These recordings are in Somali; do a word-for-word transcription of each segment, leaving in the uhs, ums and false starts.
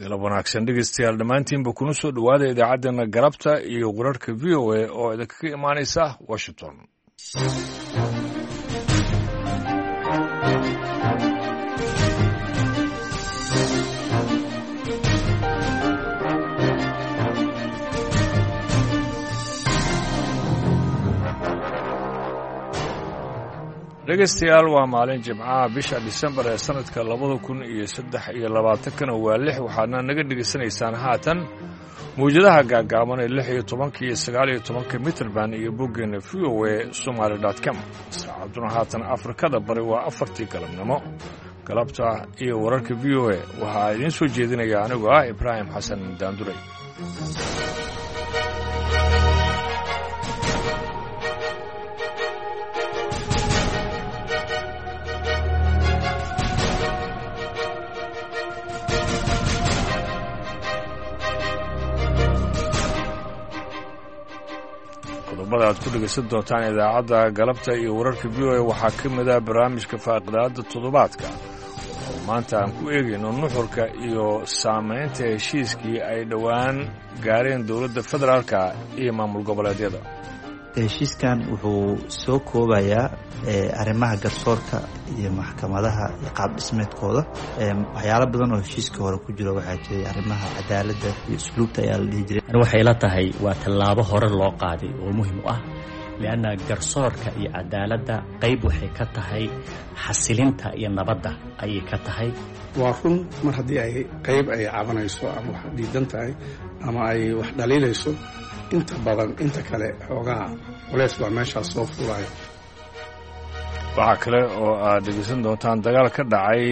Galab wanaagsan dhegeystayaal dhammaantiinba, kuna soo dhowaada idaacaddeenna galabta iyo wararka V O A oo idinkaga imaanaysa Washington. Dhegeystayaal, waa maalin Jimcaha, bisha Disembar ee sanadka labada kun iyo saddex iyo labaatankana waa lix. Waxaadna naga dhegaysanaysaan haatan mawjadaha gaagaaban ee lix iyo tobanka iyo sagaal iyo tobanka mitrband iyo boggeena V O A Somaly dot com. Saacaduna haatan Afrikada Bari waa afartii galabnimo. Galabta iyo wararka V O A waxaa idiin soo jeedinaya anigoo ah Ibraahim Xasan Daanduray. Qodobada aad ku dhegaysan doontaan idaacadda galabta iyo wararka V O A waxaa ka mid ah barnaamijka faaqidaadda toddobaadka oo maanta aan ku eegayno nuxurka iyo saamaynta heshiiskii ay dhowaan gaareen dowladda federaalka iyo maamul goboleedyada. Heshiiskan wuxuu soo koobayaa arrimaha garsoorka iyo maxkamadaha iyo qaab dhismeedkooda. Waxyaalo badan oo heshiiska hore ku jiro waxaa jiray arrimaha cadaaladda iyo usluubta ayaa la dhihi jiray. Ani waxay la tahay waa tallaabo hore loo qaaday oo muhiim u ah, lianna garsoorka iyo cadaaladda qayb waxay ka tahay xasilinta iyo nabadda ayay ka tahay. Waa run, mar haddii ay qayb ay cabanayso ama wax diidan tahay ama ay wax dhaliilayso, inta badan inta kale xoogaha culeys baa meeshaas soo fuulaya. Waxaa kale oo aad dhegeysan doontaan dagaal ka dhacay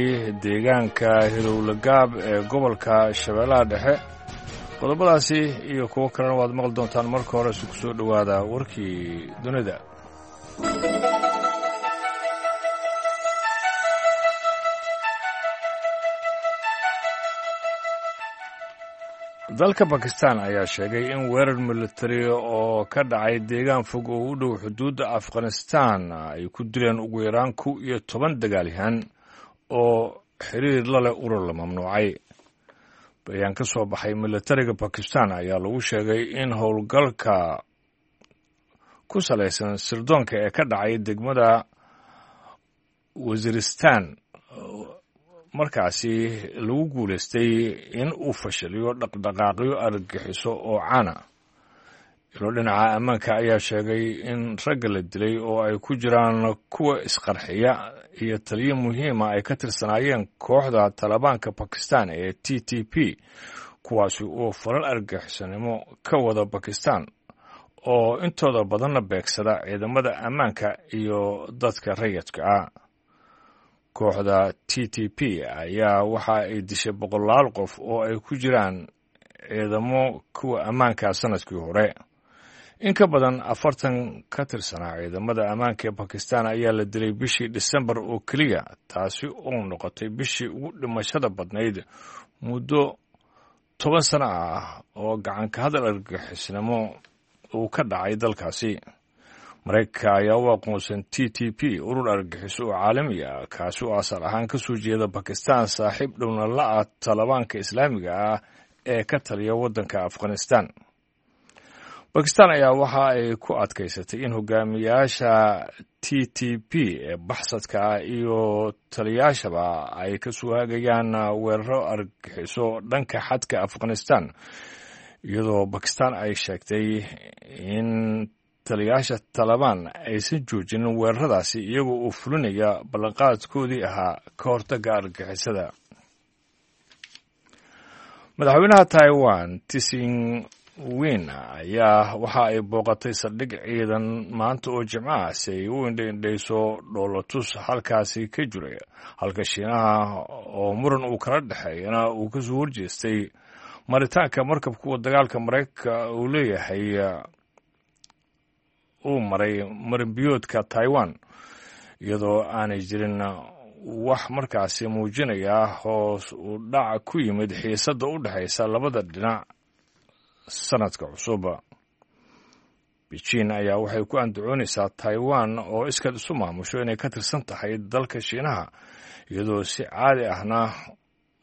deegaanka Hilowlagaab ee gobolka Shabeellaha Dhexe. Qodobadaasi iyo kuwo kalena waad maqli doontaan. Marka hore si ku soo dhowaada warkii dunida. Dalka Bakistan ayaa sheegay in weerar militari oo ka dhacay deegaan fog oo u dhow xuduudda Afghanistan ay ku dileen ugu yaraan kow iyo toban dagaalyahan oo xiriir la leh urur la mamnuucay. Bayaan ka soo baxay militariga Bakistan ayaa lagu sheegay in howlgalka ku salaysan sirdoonka ee ka dhacay degmada Wasiristan markaasi lagu guulaystay in uu fashiliyo dhaqdhaqaaqyo argagixiso oo caana. Ilo dhinaca ammaanka ayaa sheegay in ragga la dilay oo ay ku jiraan kuwa isqarxiya iyo taliyo muhiima ay ka tirsanaayeen kooxda Talibaanka Bakistan ee T T P, kuwaasi oo falal argagixisanimo ka wada Bakistan oo intooda badanna beegsada ciidamada ammaanka iyo dadka rayidka ah. Kooxda T T P ayaa waxa ay dishay boqolaal qof oo ay ku jiraan ciidamo kuwa ammaanka sanadkii hore. In ka badan afartan ka tirsanaa ciidamada ammaanka ee Bakistan ayaa la dilay bishii Disembar oo keliya, taasi oo noqotay bishii ugu dhimashada badnayd muddo toban sano ah oo gacanka hadal argagixisnimo uu ka dhacay dalkaasi. Maraykanka ayaa u aqoonsan T T P urur argagixiso oo caalami ah, kaasi oo asal ahaan ka soo jeeda Bakistan, saaxiib dhowna la-ah Talibaanka Islaamiga ah ee ka taliya waddanka Afghanistan. Bakistan ayaa waxa ay ku adkaysatay in hogaamiyaasha T T P ee baxsadka ah iyo taliyaashaba ay ka soo hagayaan weeraro argagixiso dhanka xadka Afghanistan, iyadoo Bakistan ay sheegtay in taliyaasha Talabaan aysan joojinin weeraradaasi iyagoo uu fulinaya ballanqaadkoodii ahaa ka hortagga argagixisada. Madaxweynaha Taiwan Tsing Win ayaa waxa ay booqatay saldhig ciidan maanta oo Jimco ah si ay u indhaindhayso dhoolotus halkaasi ka jiray, halka Shiinaha oo muran uu kala dhexeeyana uu kasoo horjeestay maritaanka markab kuwa dagaalka Maraykanka uu leeyahay uu maray marinbiyoodka Taiwan, iyadoo aanay jirin wax markaasi muujinaya hoos u dhac ku yimid xiisadda u dhexaysa labada dhinac sanadka cusub. Beijing ayaa waxay ku andacoonaysaa Taiwan oo iskaed isu maamusho inay ka tirsan tahay dalka Shiinaha, iyadoo si caadi ahna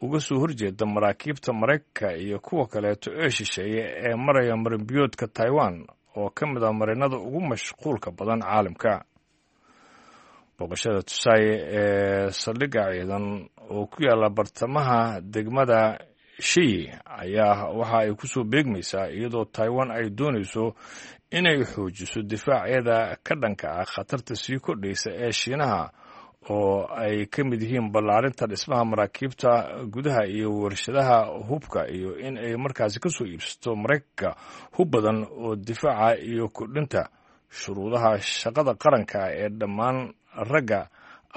uga soo horjeeda maraakiibta Maraykanka iyo kuwa kaleeto ee shisheeye ee maraya marinbiyoodka Taiwan oo ka mid ah marinada ugu mashquulka badan caalamka. Booqashada Tsai ee saldhigga ciidan oo ku yaala bartamaha degmada Shiyi ayaa waxa ay ku soo beegmaysaa iyadoo Taiwan ay doonayso inay xoojiso difaaceeda ka dhanka ah khatarta sii kordhaysa ee Shiinaha oo ay ka mid yihiin ballaarinta dhismaha maraakiibta gudaha iyo warshadaha hubka iyo in ay markaasi ka soo iibsato Maraykanka hub badan oo difaaca iyo kordhinta shuruudaha shaqada qaranka ee dhammaan ragga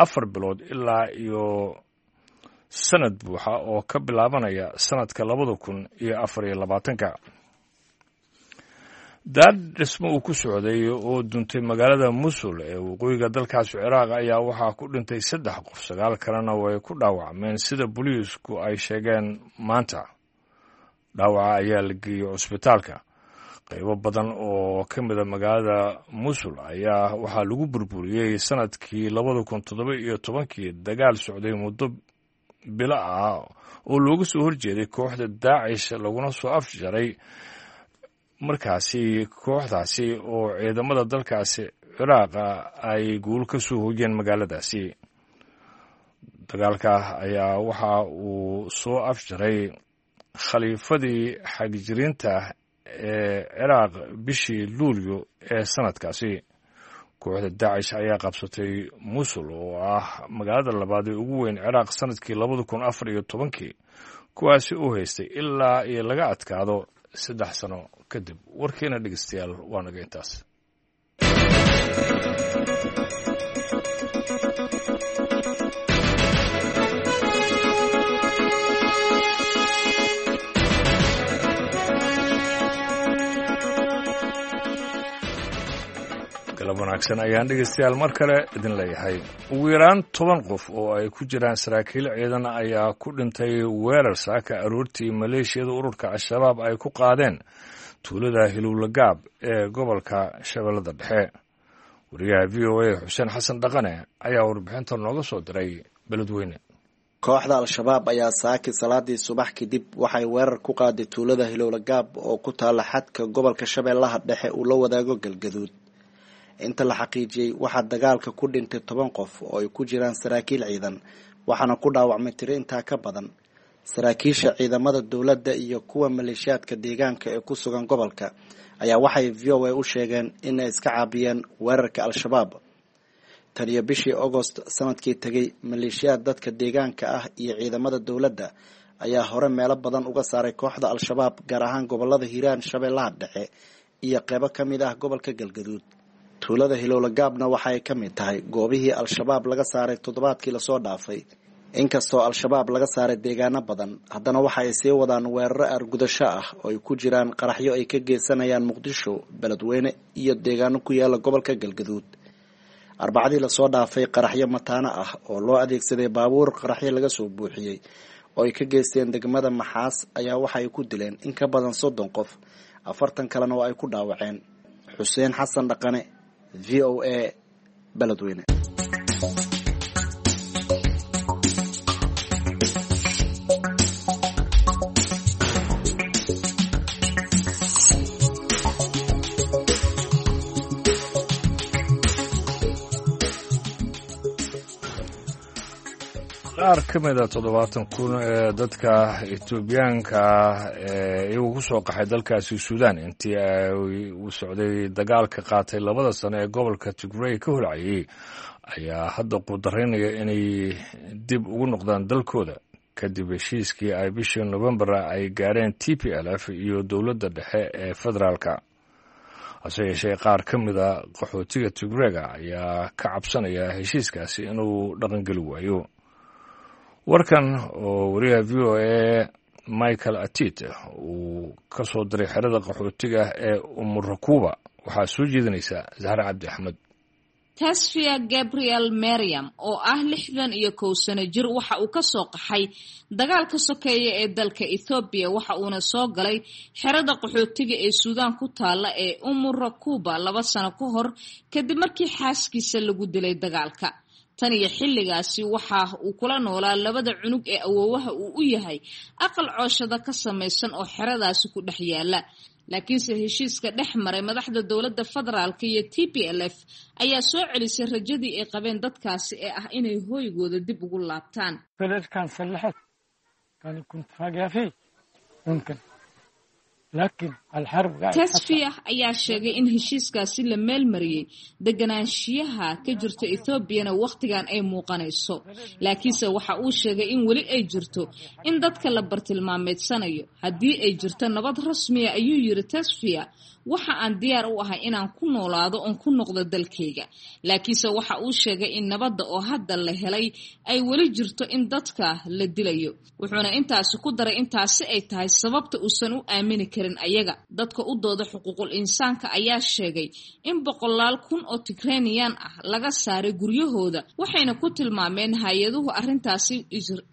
afar bilood ilaa iyo sanad buuxa oo ka bilaabanaya sanadka labada kun iyo afar iyo labaatanka. Daad dhismo uu ku socday oo duntay magaalada Musul ee waqooyiga dalkaasi Ciraaq ayaa waxaa ku dhintay saddex qof, sagaal kalena way ku dhaawacmeen sida booliisku ay sheegeen maanta. Dhaawaca ayaa la geeyey cusbitaalka. Qaybo badan oo ka mida magaalada Musul ayaa waxaa lagu burburiyey sanadkii labada kun toddoba iyo tobankii dagaal socday muddo bilo ah oo looga soo horjeeday kooxda Daacish laguna soo afjaray markaasi kooxdaasi oo ciidamada dalkaasi Ciraaqa ay guul ka soo hoyeen magaaladaasi. Dagaalka ayaa waxa uu soo afjaray khaliifadii xagjiriinta ee Ciraaq bishii Luulyo ee sanadkaasi. Kooxda Daacish ayaa qabsatay Musul oo ah magaalada labaad ee ugu weyn Ciraaq sanadkii labada kun afar iyo tobankii, kuwaasi uu haystay ilaa iyo laga adkaado saddex sano kadib. Warkeena dhegeystayaal waa naga intaas. Galab wanaagsan ayaan dhegeystayaal mar kale idin leeyahay. Ugu yaraan toban qof oo ay ku jiraan saraakiil ciidan ayaa ku dhintay weerar saaka aroortii maleeshiyada ururka Al-Shabaab ay ku qaadeen tuulada Hilowlagaab ee gobolka Shabeellada Dhexe. Wariyaha V O A Xuseen Xasan Dhaqane ayaa warbixinta nooga soo diray Beledweyne. Kooxda Al-Shabaab ayaa saaki salaadii subax kadib waxay weerar ku qaaday tuulada Hilowlagaab oo ku taala xadka gobolka Shabeellaha Dhexe uu la wadaago Galgaduud. Inta la xaqiijiyey waxaa dagaalka ku dhintay toban qof oo ay ku jiraan saraakiil ciidan, waxaana ku dhaawacmay tiro intaa ka badan. Saraakiisha ciidamada dowladda iyo kuwa maleeshiyaadka deegaanka ee ku sugan gobolka ayaa waxay V O A u sheegeen inay iska caabiyeen weerarka Al-Shabaab. Tan iyo bishii Agost sanadkii tegay, maleeshiyaad dadka deegaanka ah iyo ciidamada dowladda ayaa hore meelo badan uga saaray kooxda Al-Shabaab, gaar ahaan gobolada Hiiraan, Shabeellaha Dhexe iyo qeybo ka mid ah gobolka Galgaduud. Tuulada Hilowlagaabna waxa ay ka mid tahay goobihii Al-Shabaab laga saaray toddobaadkii lasoo dhaafay. Inkastoo Al-Shabaab laga saaray deegaano badan, haddana waxa ay sii wadaan weeraro argudasho ah oo ay ku jiraan qaraxyo ay ka geysanayaan Muqdisho, Beledweyne iyo deegaano ku yaala gobolka Galgaduud. Arbacadii lasoo dhaafay qaraxyo mataano ah oo loo adeegsaday baabuur qaraxyo laga soo buuxiyey oo ay ka geysteen degmada Maxaas ayaa waxa ay ku dileen in ka badan soddon qof, afartan kalena oo ay ku dhaawaceen. Xuseen Xasan Dhaqane, V O A, Beledweyne. Qaar ka mid a toddobaatan kun ee dadka Etoobiyaanka ee iyagu ku soo qaxay dalkaasi Suudaan intii ay uu socday dagaalka qaatay labada sano ee gobolka Tigray ka holcayay ayaa hadda qudaraynaya inay dib ugu noqdaan dalkooda kadib heshiiskii ay bishii Novembar ay gaareen T P L F iyo dowladda dhexe ee federaalka. Hase yeeshee qaar ka mid a qaxootiga Tigrayga ayaa ka cabsanaya heshiiskaasi inuu dhaqangeli waayo. Warkan oo wariyaha V O A Michael Atit uu ka soo diray xerada qaxootiga ee Umurakuba waxaa soo jeedinaysa Zahra Cabdi Axmed. Tasfia Gabriel Mariam oo ah lixdan iyo kow sano jir waxa uu ka soo qaxay dagaalka sokeeye ee dalka Ethiopia, waxa uuna soo galay xerada qaxootiga ee Suudaan ku taala ee Umurakuba laba sano ka hor kadib markii xaaskiisa lagu dilay dagaalka. Tan iyo xilligaasi waxa uu kula noolaa labada cunug ee awoowaha uu u yahay aqal cooshada ka samaysan oo xeradaasi ku dhex yaala. Laakiinse heshiiska dhex maray madaxda dowladda federaalka iyo T P L F ayaa soo celisay rajadii ay qabeen dadkaasi ee ah inay hooygooda dib ugu laabtaan. Tesfia ayaa sheegay in heshiiskaasi la meelmariyey deganaanshiyaha ka jirta Ethoobiana wakhtigan ay muuqanayso. Laakiinse waxa uu sheegay in weli ay jirto in dadka la bartilmaameedsanayo. Haddii ay jirto nabad rasmiya, ayuu yiri Tesfia, waxa aan diyaar u ahay inaan ku noolaado oon ku noqdo dalkayga. Laakiinse waxa uu sheegay in nabadda oo hadda la helay ay weli jirto in dadka la dilayo. Wuxuuna intaasi ku daray intaasi ay tahay sababta uusan u aamini karin ayaga. Dadka u dooda xuquuqul insaanka ayaa sheegay in boqolaal kun oo Tigranian ah laga saaray guryahooda, waxayna ku tilmaameen hay-aduhu arrintaasi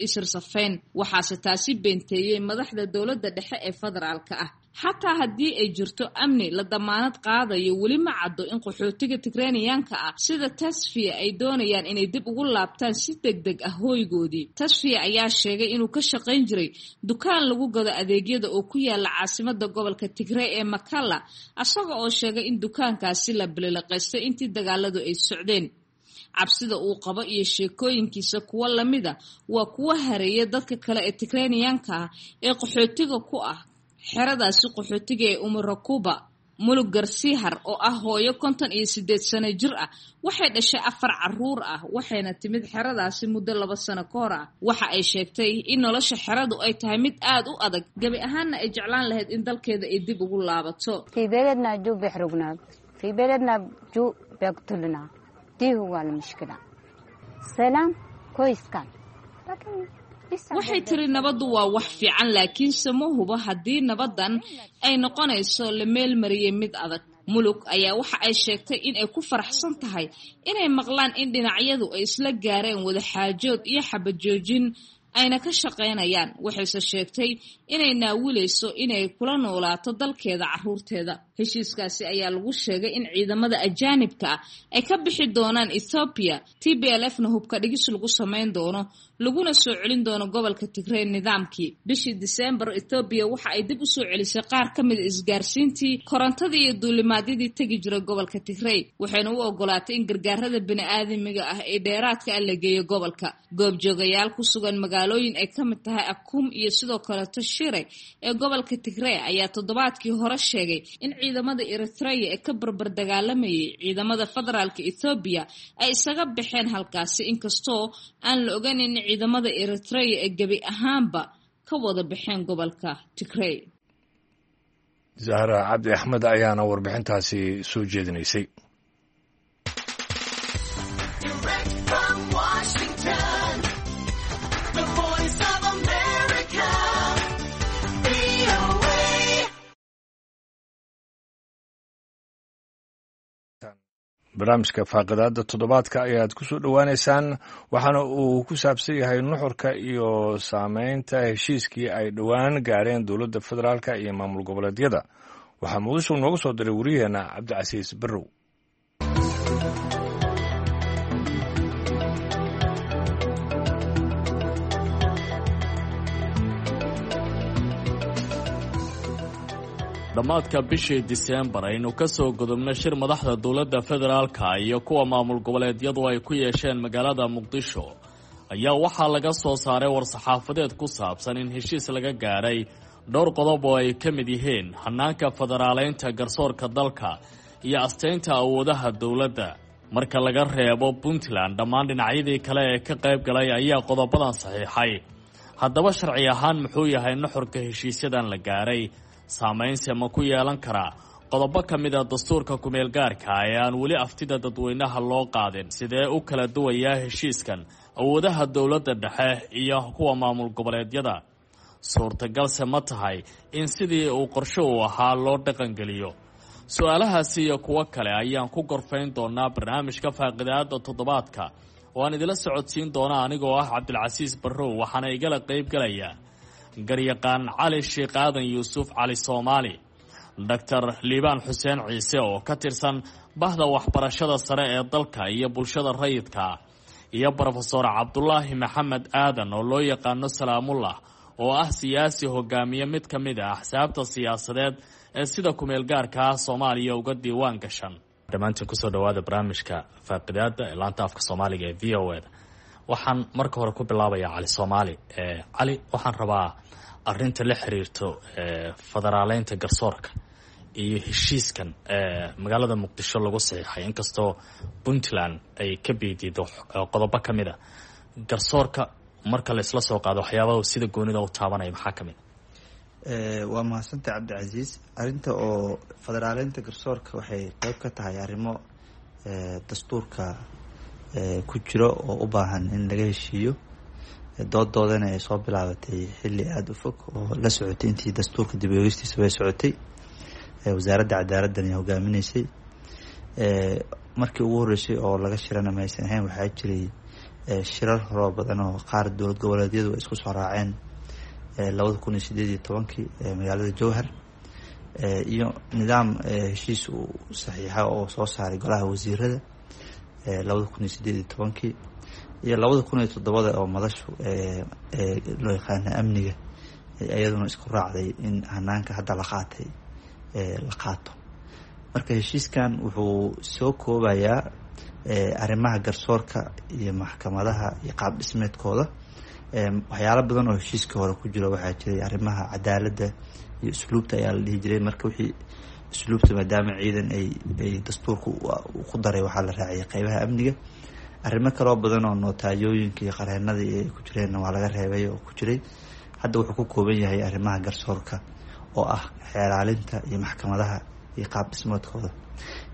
isirsafeyn. Waxaase taasi beenteeyey madaxda dowladda dhexe ee federaalka ah. Xataa haddii ay jirto amni la damaanad qaadayo, weli ma caddo in qaxootiga Tigraniyaanka ah sida Tasfiya ay doonayaan inay dib ugu laabtaan si degdeg ah hooygoodii. Tasfiya ayaa sheegay inuu ka shaqayn jiray dukaan lagu gado adeegyada oo ku yaala caasimada gobolka Tigray ee Makalla, asaga oo sheegay in dukaankaasi la bililiqaystay intii dagaaladu ay socdeen. Cabsida uu qabo iyo sheekooyinkiisa kuwo lamida waa kuwa hareeya dadka kale ee Tigraniyaanka ah ee qaxootiga ku ah xeradaasi qaxootiga ee Umurakuba. Mulug Garsiihar oo ah hooyo konton iyo sideed sano jir ah waxay dhashay afar caruur ah, waxayna timid xeradaasi muddo laba sano ka hor ah. Waxa ay sheegtay in nolosha xeradu ay tahay mid aad u adag, gebi ahaanna ay jeclaan lahayd in dalkeeda ay dib ugu laabato. Waxay tiri nabaddu waa wax fiican, laakiinse ma hubo haddii nabaddan ay noqonayso la meelmariyey mid adag. Mulug ayaa waxa ay sheegtay in ay ku faraxsan tahay inay maqlaan in dhinacyadu ay isla gaareen wada xaajood iyo xabajoojin ayna ka shaqaynayaan. Waxayse sheegtay inay naawilayso inay kula noolaato dalkeeda caruurteeda. Heshiiskaasi ayaa lagu sheegay in ciidamada ajaanibka ah ay ka bixi doonaan Ethiopia, T B L F na hubka dhigis lagu samayn doono, laguna soo celin doono gobolka Tigray nidaamkii. Bishii December, Ethiopia waxa ay dib u soo celisay qaar ka mid isgaarsiintii, korontadii iyo duulimaadyadii tegi jiray gobolka Tigray, waxayna u ogolaatay in gargaarada bini'aadamiga ah ee dheeraadka ah la geeyo gobolka. Goobjoogayaal ku sugan magaalooyin ay ka mid tahay Akum iyo sidoo kaleto Shire ee gobolka Tigray ayaa toddobaadkii hore sheegay in ciidamada Eritrea ee ka barbar dagaalamayay ciidamada federaalka Ethiopia ay isaga baxeen halkaasi, inkastoo aan la ogayn in ciidamada Eritrea ee gebi ahaanba ka wada baxeen gobolka Tigray. Zahra Cabdi Axmed ayaana warbixintaasi soo jeedinaysay. Barnaamijka faaqidaada toddobaadka ayaad ku soo dhowaanaysaan, waxaana uu ku saabsan yahay nuxurka iyo saameynta heshiiskii ay dhowaan gaareen dowladda federaalka iyo maamul goboleedyada. Waxaa muqdisho nooga soo diray wariyaheenna Cabdicasiis Barrow. Dhammaadka bishii Diseembar aynu ka soo gudubnay shir madaxda dowladda federaalka iyo kuwa maamul goboleedyadu ay ku yeesheen magaalada Muqdisho ayaa waxaa laga soo saaray war-saxaafadeed ku saabsan in heshiis laga gaaray dhowr qodob oo ay ka mid yihiin hanaanka federaaleynta garsoorka dalka iyo asteynta awoodaha dowladda. Marka laga reebo Puntland, dhammaan dhinacyadii kale ee ka qayb galay ayaa qodobadan saxiixay. Haddaba sharci ahaan muxuu yahay nuxurka heshiisyadan la gaaray? Saamaynse ma ku yeelan karaa qodobo ka mid a dastuurka kumeelgaarka ee aan weli aftida dadweynaha loo qaadin? Sidee u kala duwayaa heshiiskan awoodaha dowladda dhexe iyo kuwa maamul goboleedyada? Suurtagalse ma tahay in sidii uu qorshe uu ahaa loo dhaqangeliyo? Su-aalahaasi iyo kuwo kale ayaan ku gorfayn doonaa barnaamijka faaqidaada toddobaadka oo aan idila socodsiin doona anigoo ah Cabdilcasiis Barrow, waxaana igala qayb galaya garyaqaan Cali Sheekh Aadan Yuusuf Cali Soomaali, Doctor Liibaan Xuseen Ciise oo ka tirsan bahda waxbarashada sare ee dalka iyo bulshada rayidka, iyo brofesor Cabdulaahi Maxamed Aadan oo loo yaqaano Salaamullah, oo ah siyaasi hogaamiye mid ka mid ah axsaabta siyaasadeed ee sida kumeel gaarka ah Soomaaliya uga diiwaan gashan. Dhammaantiin kusoo dhawaada barnaamijka faaqidaada ee laanta afka Soomaaliga ee V O E da. Waxaan marka hore ku bilaabayaa Cali Soomaali. Cali, waxaan rabaa arinta la xiriirto federaaleynta garsoorka iyo heshiiskan magaalada Muqdisho lagu saxiixay, inkastoo Puntland ay ka biidiido qodobo ka mid a garsoorka. Marka la isla soo qaado waxyaabaha sida goonida u taabanaya, maxaa ka mid a? Waa mahadsantay, Cabdicasiis. Arrinta oo federaaleynta garsoorka waxay qeyb ka tahay arrimo dastuurka ku jiro oo u baahan in laga heshiiyo. Doodoodana ay soo bilaabatay xilli aada u fog oo la socotay intii dastuurka dib eegistiisa bay socotay, wasaaradda cadaaladdan ay hogaaminaysay. Markii ugu horreysay oo laga shirana maysan ahayn, waxaa jiray shirar horoo badan oo qaar dowlad goboleedyadu ay isku soo raaceen labada kun iyo sideed iyo tobankii magaalada Jowhar, iyo nidaam heshiis uu saxiixa oo soo saaray golaha wasiirada labada kun iyo sideed iyo tobankii iyo labada kun iyo toddobada oo madashu loo yaqaana amniga iyaduna isku raacday in hanaanka hadda la qaatay la qaato. Marka heshiiskan wuxuu soo koobayaa arrimaha garsoorka iyo maxkamadaha iyo qaab dhismeedkooda. Waxyaalo badan oo heshiiska hore ku jiro waxaa jiray arrimaha cadaaladda iyo usluubta ayaa la dhihi jiray. Marka wixii usluubta, maadaama ciidan ay ay dastuurka ku daray, waxaa la raaciyay qeybaha amniga. Arrimo kaloo badan oo notaayooyinka iyo qareenada iyo ay ku jireenna waa laga reebay oo ku jiray. Hadda wuxuu ku kooban yahay arrimaha garsoorka oo ah xeeraalinta iyo maxkamadaha iyo qaab dhismeedkooda.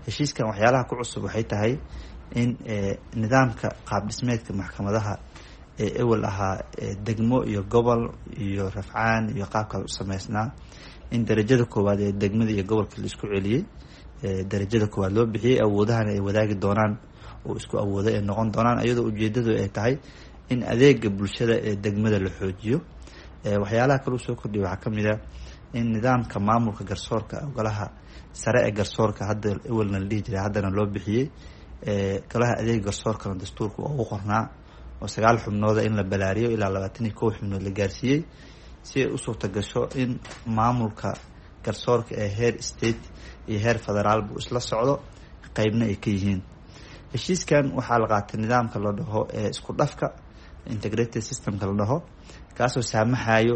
Heshiiskan waxyaalaha ku cusub waxay tahay in nidaamka qaab dhismeedka maxkamadaha ee ewel ahaa degmo iyo gobol iyo rafcaan iyo qaabkaas u sameysnaa, in darajada koowaad ee degmada iyo gobolka la isku celiyey, darajada koowaad loo bixiyey, awoodahana ay wadaagi doonaan oo isku awoodo ay noqon doonaan, iyadoo ujeedadu ay tahay in adeega bulshada ee degmada la xoojiyo. Waxyaalaha kale usoo kordhiya waxaa kamid a in nidaamka maamulka garsoorka, golaha sare ee garsoorka hadda ewelna la dhihi jiray haddana loo bixiyey golaha adeega garsoorkana dastuurka oo ugu qornaa oo sagaal xubnooda in la balaariyo ilaa labaatan iyo kow xubnood la gaarsiiyey, si ay u suurta gasho in maamulka garsoorka ee heer state iyo heer federaalbu isla socdo, qeybna ay ka yihiin. Heshiiskan waxaa la qaatay nidaamka la dhaho ee isku dhafka, integrated systemka la dhaho, kaasoo saamaxayo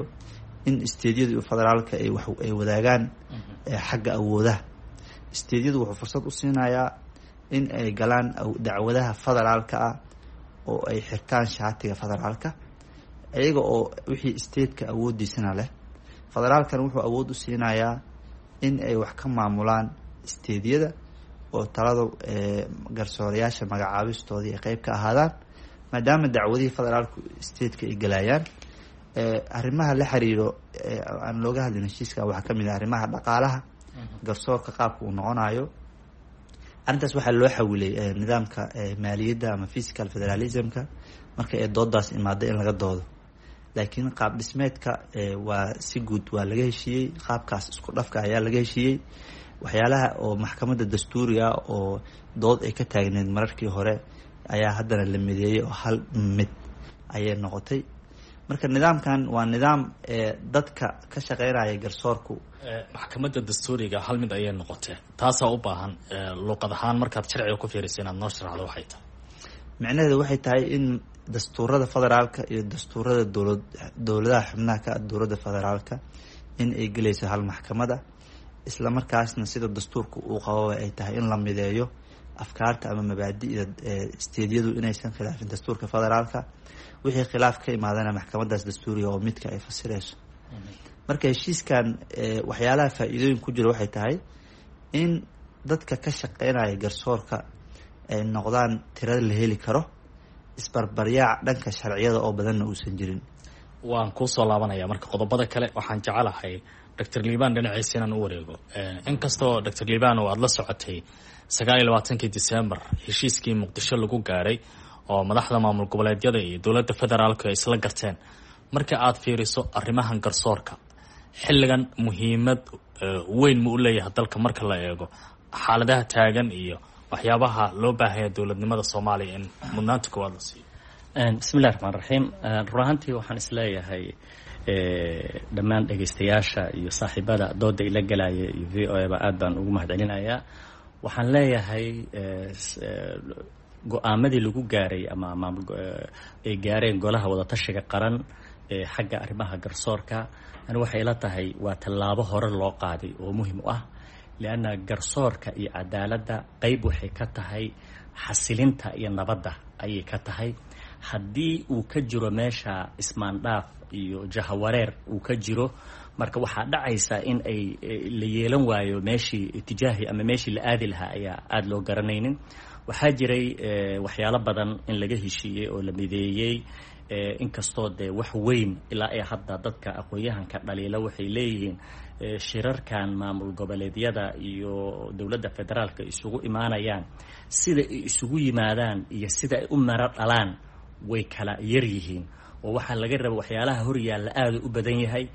in stateyadu iyo federaalka ay wax ay wadaagaan xagga awoodaha. Stateyadu wuxuu fursad u siinayaa in ay galaan dacwadaha federaalka ah oo ay xirtaan shaatiga federaalka, iyaga oo wixii stateka awoodiisana leh. Federaalkana wuxuu awood u siinayaa in ay wax ka maamulaan stateyada oo talada garsoorayaasha magacaabistoodii ay qeyb ka ahaadaan, maadaama dacwadihii federaalku stateka ay galayaan. Arrimaha la xiriiro aan looga hadlin heshiiska waxaa kamid ah arrimaha dhaqaalaha garsoorka qaabka uu noqonayo. Arrintaas waxaa loo xawilay nidaamka maaliyadda ama fiscal federalismka marka ay doodaas imaado in laga doodo, laakiin qaab dhismeedka waa si guud waa laga heshiiyey. Qaabkaas isku dhafka ayaa laga heshiiyey. Waxyaalaha oo maxkamadda dastuuriga oo dood ay ka taagneed mararkii hore ayaa haddana la mideeyey oo hal mid ayay noqotay. Marka nidaamkan waa nidaam dadka ka shaqeynaya garsoorku. Maxkamadda dastuuriga hal mid ayay noqotee, taasaa u baahan luuqad ahaan markaad sharciga ku fiirisa inaad noo sharaxdo waxay tahay. Micnaheedu waxay tahay in dastuurada federaalka iyo dastuurada dowlad dowladaha xubnaha ka dowladda federaalka in ay gelayso hal maxkamada, isla markaasna sida dastuurka uu qababa ay tahay in la mideeyo afkaarta ama mabaadi'da stateyadu inaysan khilaafin dastuurka federaalka, wixii khilaaf ka imaadana maxkamadaas dastuuriga oo midka ay fasirayso. Marka heshiiskan waxyaalaha faa-iidooyin ku jira waxay tahay in dadka ka shaqeynaya garsoorka ay noqdaan tirada la heli karo, isbarbaryaac dhanka sharciyada oo badanna uusan jirin. Waan kuusoo laabanaya marka qodobada kale. Waxaan jecelahay Doctor Liban dhinaciisa inaan u wareego. Inkastoo Doctor Liban oo aada la socotay sagaal iyo labaatankii December heshiiskii Muqdisho lagu gaaray oo madaxda maamul goboleedyada iyo dowladda federaalku ay isla garteen, marka aada fiiriso arrimahan garsoorka xilligan muhiimad weyn ma u leeyahay dalka marka la eego xaaladaha taagan iyo waxyaabaha loo baahanya dowladnimada Soomaaliya in mudnaanta koowaad la siiyo? Bismillahi raxmaan raxiim. Run ahaantii waxaan isleeyahay dhammaan dhegaystayaasha iyo saaxiibada dooda ila galaya iyo V O A ba aad baan ugu mahad celinayaa. Waxaan leeyahay go-aamadii lagu gaaray ama maamul ay gaareen golaha wadatashiga qaran ee xagga arrimaha garsoorka, ani waxay ila tahay waa tallaabo hore loo qaaday oo muhim u ah, lianna garsoorka iyo cadaaladda qeyb waxay ka tahay xasilinta iyo nabadda ayay ka tahay. Haddii uu ka jiro meesha ismaandhaaf iyo jahawareer uu ka jiro, marka waxaa dhacaysa in ay la yeelan waayo meeshii itijaahi ama meeshii la aadi lahaa ayaa aada loo garanaynin. Waxaa jiray waxyaalo badan in laga heshiiyey oo la mideeyey, inkastoo dee wax weyn ilaa ay hadda dadka aqoon-yahanka dhaliila waxay leeyihiin shirarkan maamul goboleedyada iyo dowladda federaalka isugu imaanayaan, sida ay isugu yimaadaan iyo sida ay u maro dhalaan way kala yar yihiin, oo waxaa laga raba waxyaalaha horyaalla aada u badan yahay.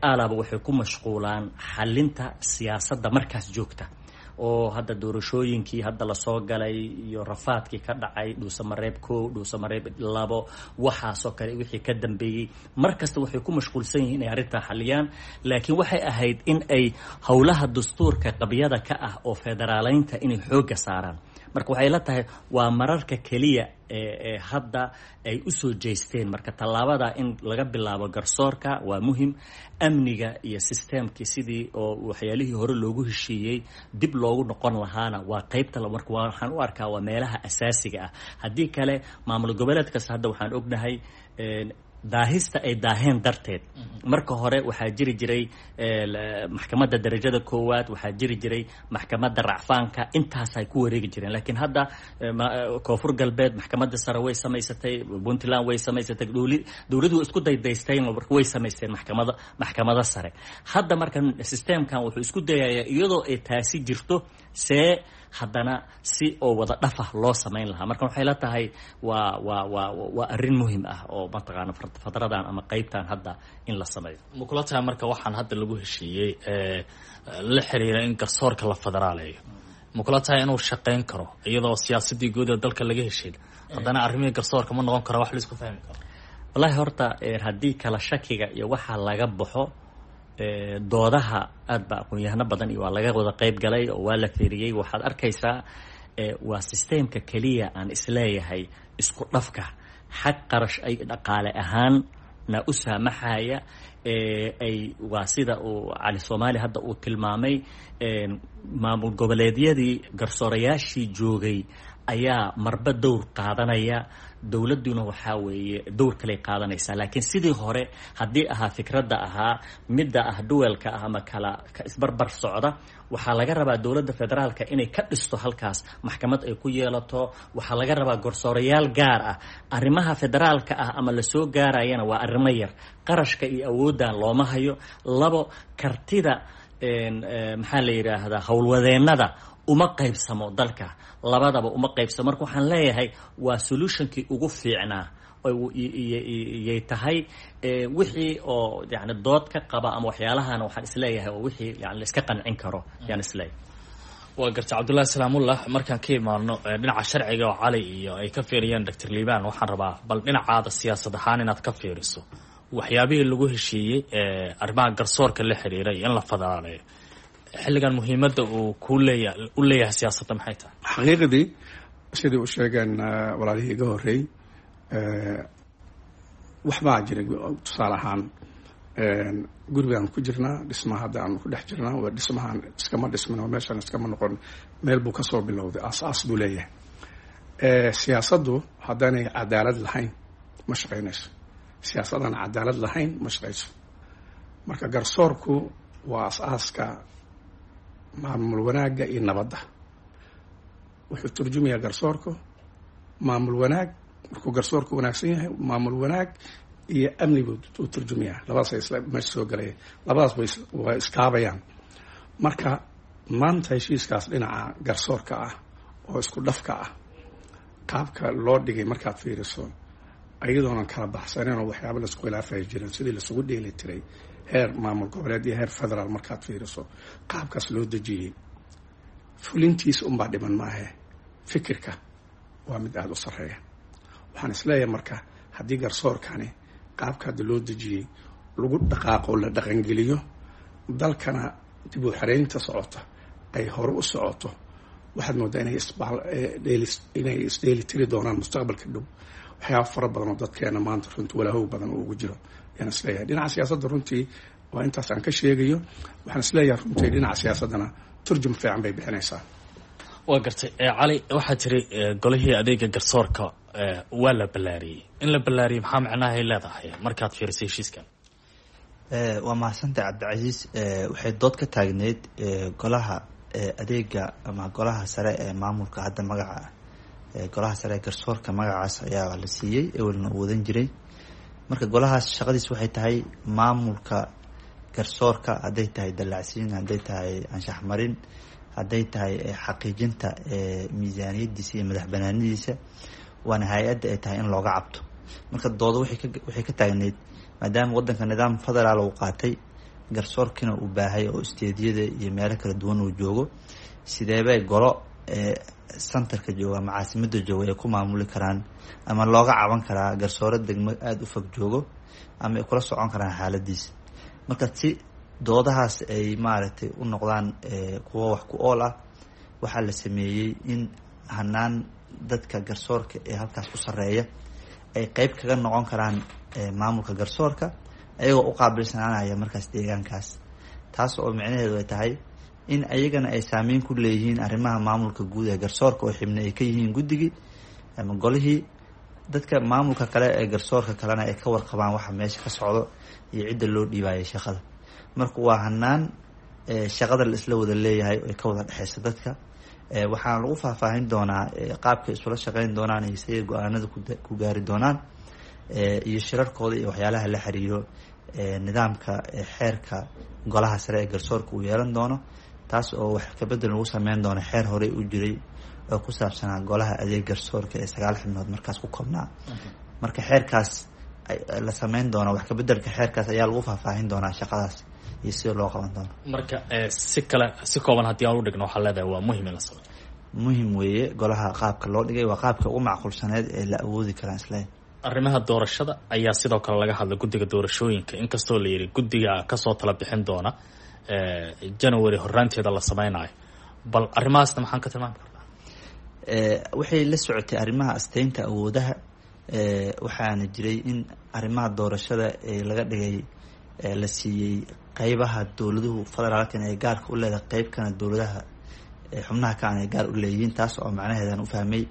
Aalaba waxay ku mashquulaan xalinta siyaasadda markaas joogta, oo hadda doorashooyinkii hadda lasoo galay iyo rafaadkii ka dhacay Dhuusamareeb kow, Dhuusamareeb labo, waxaasoo kale wixii ka dambeeyey, mar kasta waxay ku mashquulsan yihiin inay arrintaa xaliyaan. Laakiin waxay ahayd in ay howlaha dastuurka qabyada ka ah oo federaaleynta inay xoogga saaraan. Marka waxay la tahay waa mararka keliya ee hadda ay usoo jeesteen. Marka tallaabada in laga bilaabo garsoorka waa muhim, amniga iyo sisteemkii sidii oo waxyaalihii hore loogu heshiiyey dib loogu noqon lahaana waa qeybta. Marka waxaan u arkaa waa meelaha asaasiga ah. Haddii kale maamul goboleed kasta hadda waxaan ognahay daahista ay daaheen darteed. Marka hore waxaa jiri jiray maxkamadda darajada koowaad, waxaa jiri jiray maxkamadda racfaanka, intaasay ku wareegi jireen. Laakiin hadda Koonfur Galbeed maxkamadda sare way samaysatay, Puntland way samaysatay, dowladdu way isku daydaysteen, way samaysteen maxkamada maxkamada sare. Hadda marka sisteemkan wuxuu isku dayayaa iyadoo ay taasi jirto see haddana si oo wada dhafah loo samayn lahaa. Marka waxay la tahay waa waa waa waa arrin muhim ah oo mataqaana fatradan ama qeybtan hadda in la sameeyo. Ma kula tahay marka waxaan hadda lagu heshiiyey la xiriira in garsoorka la federaaleeyo, ma kula tahay inuu shaqeyn karo iyadoo siyaasadii guud ee dalka laga heshiin, haddana arrimihii garsoorka ma noqon kara wax laisku fahmi karo? Wallahi horta haddii kala shakiga iyo waxaa laga baxo, doodaha aad ba aqoon-yahano badan iyo waa laga wada qeyb galay oo waa la feeriyey. Waxaad arkaysaa waa sisteemka keliya aan isleeyahay isku dhafka xag qarash ay dhaqaale ahaan na u saamaxaya, ay waa sida uu Cali Soomaali hadda uu tilmaamay, maamul goboleedyadii garsoorayaashii joogay ayaa marba dowr qaadanaya, dowladduna waxaa weeye dowr kaley qaadanaysaa. Laakiin sidii hore haddii ahaa fikradda ahaa midda ah duwelka ah ama kala isbarbar socda, waxaa laga rabaa dowladda federaalka inay ka dhisto halkaas maxkamad ay ku yeelato. Waxaa laga rabaa garsoorayaal gaar ah arrimaha federaalka ah ama lasoo gaarayana waa arrimo yar, qarashka iyo awooddan looma hayo. Labo, kartida maxaa la yidhaahdaa howlwadeennada uma qaybsamo dalka, labadaba uma qaybsamo. Marka waxaan leeyahay waa solutionkii ugu fiicnaa yay tahay. Wixii oo yani dood ka qaba ama waxyaalahana waxaan isleeyahay oo wixii yani la iska qancin karo yaan isleeyahay. Waa garta Cabdullahi Salaamullah. Markaan ka imaano dhinaca sharciga oo Cali iyo ay ka fiiriyeen Doctor Liibaan, waxaan rabaa bal dhinacaada siyaasad ahaan inaad ka fiiriso waxyaabihii lagu heshiiyey arrimaha garsoorka la xiriiray in la federaaleeyo xilligan muhiimadda uu ku leeya u leeyahay siyaasadda maxay tahay? Xaqiiqdii sidii u sheegeen walaalihii iga horreey, waxbaa jira. Tusaale ahaan gurigaan ku jirnaa, dhismaha hadda aan ku dhex jirnaa waa dhismahaan iskama dhismin oo meeshaan iskama noqon, meel buu kasoo bilowday, aas-aas buu leeyahay. Siyaasaddu haddaanay cadaalad lahayn ma shaqaynayso, siyaasadaan cadaalad lahayn ma shaqayso. Marka garsoorku waa as-aaska maamul wanaagga iyo nabadda. Wuxuu turjumayaa garsoorku maamul wanaag. Markuu garsoorku wanaagsan yahay, maamul wanaag iyo amni buu u turjumayaa. Labadaas isla meesha soo galaya, labadaas way waa iskaabayaan. Marka maanta heshiiskaas dhinaca garsoorka ah oo isku dhafka ah qaabka loo dhigay markaad fiiriso, iyadoonan kala baxsaneyn oo waxyaaba laisku khilaafaya jirin, sidii lasugu dheeli tiray heer maamul goboleed iyo heer federaal markaad fiiriso qaabkaas loo dejiyey, fulintiisa unbaa dhiman maahe, fikirka waa mid aada u sarreeya. Waxaan isleeyahay marka haddii garsoorkani qaabka hadda loo dejiyey lagu dhaqaaqo, la dhaqangeliyo, dalkana dib u xareynta socota ay hore u socoto, waxaad moodaa inay isbainay isdheeli tiri doonaan mustaqbalka dhow. Waxyaaba fara badan oo dadkeena maanta runtii walaahow badan oo ugu jiro ayaan isleeyahay. Dhinaca siyaasadda runtii waa intaas aan ka sheegayo. Waxaan isleeyahay runtii dhinaca siyaasaddana turjum fiican bay bixinaysaa. Waa gartay Cali, waxaa tiri golihii adeega garsoorka waa la ballaariyey. In la ballaariyey maxaa macnahay leedahay markaad fiirisay heshiiskan? Waa mahadsantay Cabdicasiis. Waxay dood ka taagneyd golaha adeega ama golaha sare ee maamulka, hadda magaca golaha sare ee garsoorka magacaas ayaa la siiyey, ewelna uu wadan jiray. Marka golahaas shaqadiis waxay tahay maamulka garsoorka, hadday tahay dallacsiin, hadday tahay anshax marin, hadday tahay xaqiijinta miisaaniyadiisa iyo madax banaanidiisa, waana hay-adda ay tahay in looga cabto. Marka doodo waxay ka taagneyd maadaama wadanka nidaam federaal uu qaatay, garsoorkiina uu baahay oo isteediyada iyo meelo kala duwan uu joogo, sideebay golo centerka jooga ama caasimada jooga ay ku maamuli karaan ama looga caban karaa garsooro degmo aada u fog joogo ama ay kula socon karaan xaaladiisa? Marka si doodahaas ay maaragtay u noqdaan kuwo wax ku ool ah, waxaa la sameeyey in hanaan dadka garsoorka ee halkaas ku sarreeya ay qeyb kaga noqon karaan maamulka garsoorka, ayagoo u qaabilsanaanaya markaas deegaankaas, taas oo micnaheedu ay tahay in ayagana ay saameyn ku leeyihiin arrimaha maamulka guud ee garsoorka oo xibne ay ka yihiin guddigii ama golihii, dadka maamulka kale ee garsoorka kalena ay ka warqabaan waxa meesha ka socdo iyo cidda loo dhiibaayay shaqada. Marka waa hanaan shaqada la isla wada leeyahay ay ka wada dhexeysa dadka. Waxaana lagu faahfaahin doonaa qaabkay isula shaqeyn doonaan iyo siday go-aanada ku gaari doonaan iyo shirarkooda iyo waxyaalaha la xiriiro nidaamka xeerka golaha sare ee garsoorka uu yeelan doono, taas oo wax kabedel lagu sameyn doono xeer horey u jiray oo ku saabsanaa golaha adeeg garsoorka ee sagaal xibnood markaas ku koobnaa. Marka xeerkaas la sameyn doono, wax kabedelka xeerkaas ayaa lagu faahfaahin doonaa shaqadaas iyo sida loo qaban doono. Marka si kale, si kooban haddii aan u dhigno, waxaa leedahay waa muhim in la sameeyo. Muhim weeye golaha qaabka loo dhigay, waa qaabka ugu macquulsaneed ee la awoodi karaa isleeyahay. Arrimaha doorashada ayaa sidoo kale laga hadlay, guddiga doorashooyinka, inkastoo la yidhi guddiga kasoo tala bixin doona January horaanteeda la sameynayo, bal arrimahaasna maxaan ka tilmaami karnaa? Waxay la socotay arrimaha asteynta awoodaha. Waxaana jiray in arrimaha doorashada ee laga dhigay la siiyey qeybaha dowladuhu federaalkan ay gaarka u leedahay, qeybkana dowladaha xubnaha kaan ay gaar u leeyihiin, taas oo macnaheedan u fahmay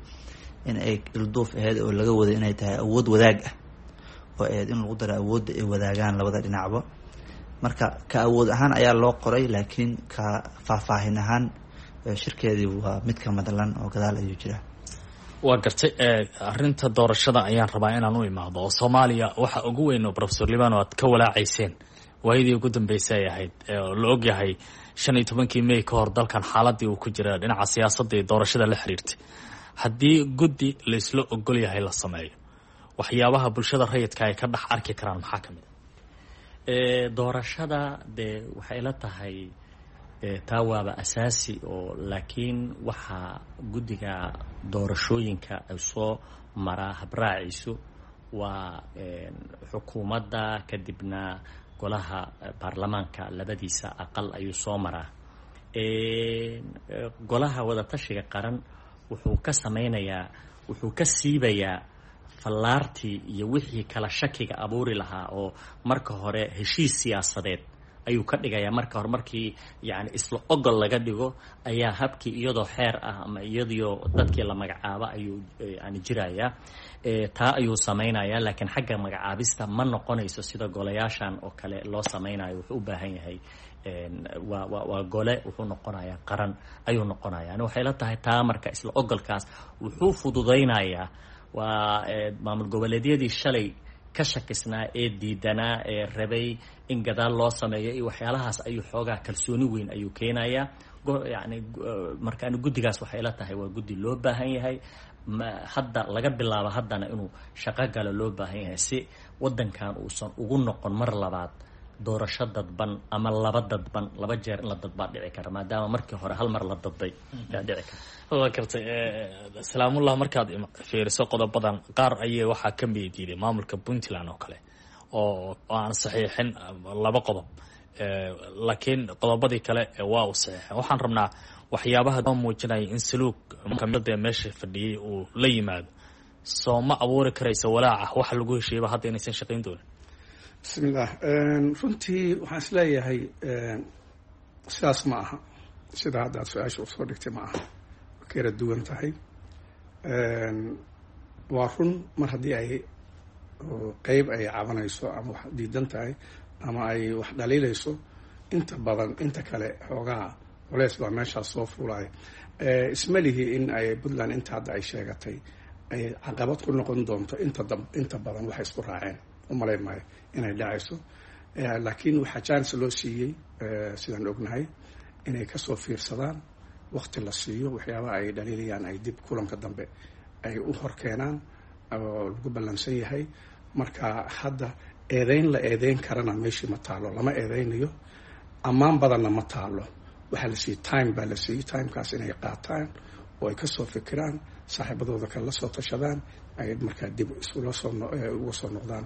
in ay ilduuf aheyd oo laga waday inay tahay awood wadaag ah oo aheyd in lagu daro awoodda ay wadaagaan labada dhinacba. Marka ka awood ahaan ayaa loo qoray, laakiin ka faahfaahin ahaan shirkeedii waa mid ka madlan oo gadaal ayuu jiraa. Waa gartay. Arrinta doorashada ayaan rabaa inaan u imaado, oo Soomaaliya waxa ugu weyn oo Professor Libano aad ka walaacayseen waayadii ugu dambeysay ay ahayd, la ogyahay shan iyo tobankii May ka hor dalkan xaaladii uu ku jira dhinaca siyaasadda iyo doorashada la xiriirtay. Haddii guddi laysla ogol yahay la sameeyo, waxyaabaha bulshada rayidka ay ka dhex arki karaan maxaa ka mid a doorashada? Dee waxay la tahay taa waaba asaasi oo, laakiin waxaa guddiga doorashooyinka ay soo maraa habraaciisu waa xukuumadda, kadibna golaha baarlamaanka labadiisa aqal ayuu soo maraa. Golaha wadatashiga qaran wuxuu ka sameynayaa, wuxuu ka siibayaa fallaartii iyo wixii kala shakiga abuuri lahaa, oo marka hore heshiis siyaasadeed ayuu ka dhigayaa. Marka hore markii yani isla ogol laga dhigo ayaa habkii iyadoo xeer ah ama iyadoo dadkii la magacaabo ayuu yani jirayaa, taa ayuu samaynayaa. Laakiin xagga magacaabista ma noqonayso sida golayaashan oo kale loo samaynayo. Wuxuu u baahan yahay waa wa waa gole wuxuu noqonayaa qaran ayuu noqonaya. Yani waxay la tahay taa marka isla ogolkaas wuxuu fududaynayaa waa maamul goboleedyadii shalay ka shakisnaa ee diidanaa ee rabay in gadaal loo sameeyo iyo waxyaalahaas ayuu xoogaa kalsooni weyn ayuu keenayaa. Yani marka ani guddigaas waxay la tahay waa guddi loo baahan yahay hadda laga bilaabo haddana inuu shaqo galo loo baahan yahay, si waddankan uusan ugu noqon mar labaad. Doorasho dadban ama laba dadban, laba jeer in la dadbaa dhici kara, maadaama markii hore hal mar la dadbay yaa dhici kara. Waa gartay, Salaamullah. Markaad fiiriso qodobadan qaar ayay waxaa ka mid diiday maamulka Puntland oo kale oo aan saxiixin laba qodob, laakiin qodobadii kale waa uu saxiixin. Waxaan rabnaa waxyaabaha muujinaya in saluug kamida meesha fadhiyey uu la yimaado, soo ma abuuri karaysa walaaca waxa lagu heshiiyaba hadda inaysan shaqayn doonin? Bismillaah. Runtii waxaan is leeyahay sidaas ma aha, sida hadda aad su-aasha usoo dhigtay ma aha, way ka yara duwan tahay. Waa run, mar haddii ay qeyb ay cabanayso ama wax diidan tahay ama ay wax dhaliilayso, inta badan inta kale xoogaa culeys baa meeshaas soo fuulaya. Isma lihi in ay Puntland inta hadda ay sheegatay ay caqabad ku noqon doonto. Inta inta badan waxay isku raaceen umalayn maayo inay dhacayso, laakiin waxaa chance loo siiyey, sidaan ognahay, inay kasoo fiirsadaan, waqti la siiyo, waxyaabaha ay dhaliilayaan ay dib kulanka dambe ay u horkeenaan oo lagu ballansan yahay. Marka hadda eedeyn la eedeyn karana meeshii ma taalo, lama eedeynayo, ammaan badanna ma taalo. Waxaa la siiyey time baa la siiyey, timekaas inay qaataan oo ay kasoo fikiraan, saaxiibadooda kale la soo tashadaan, ay markaa dib isula soo uga soo noqdaan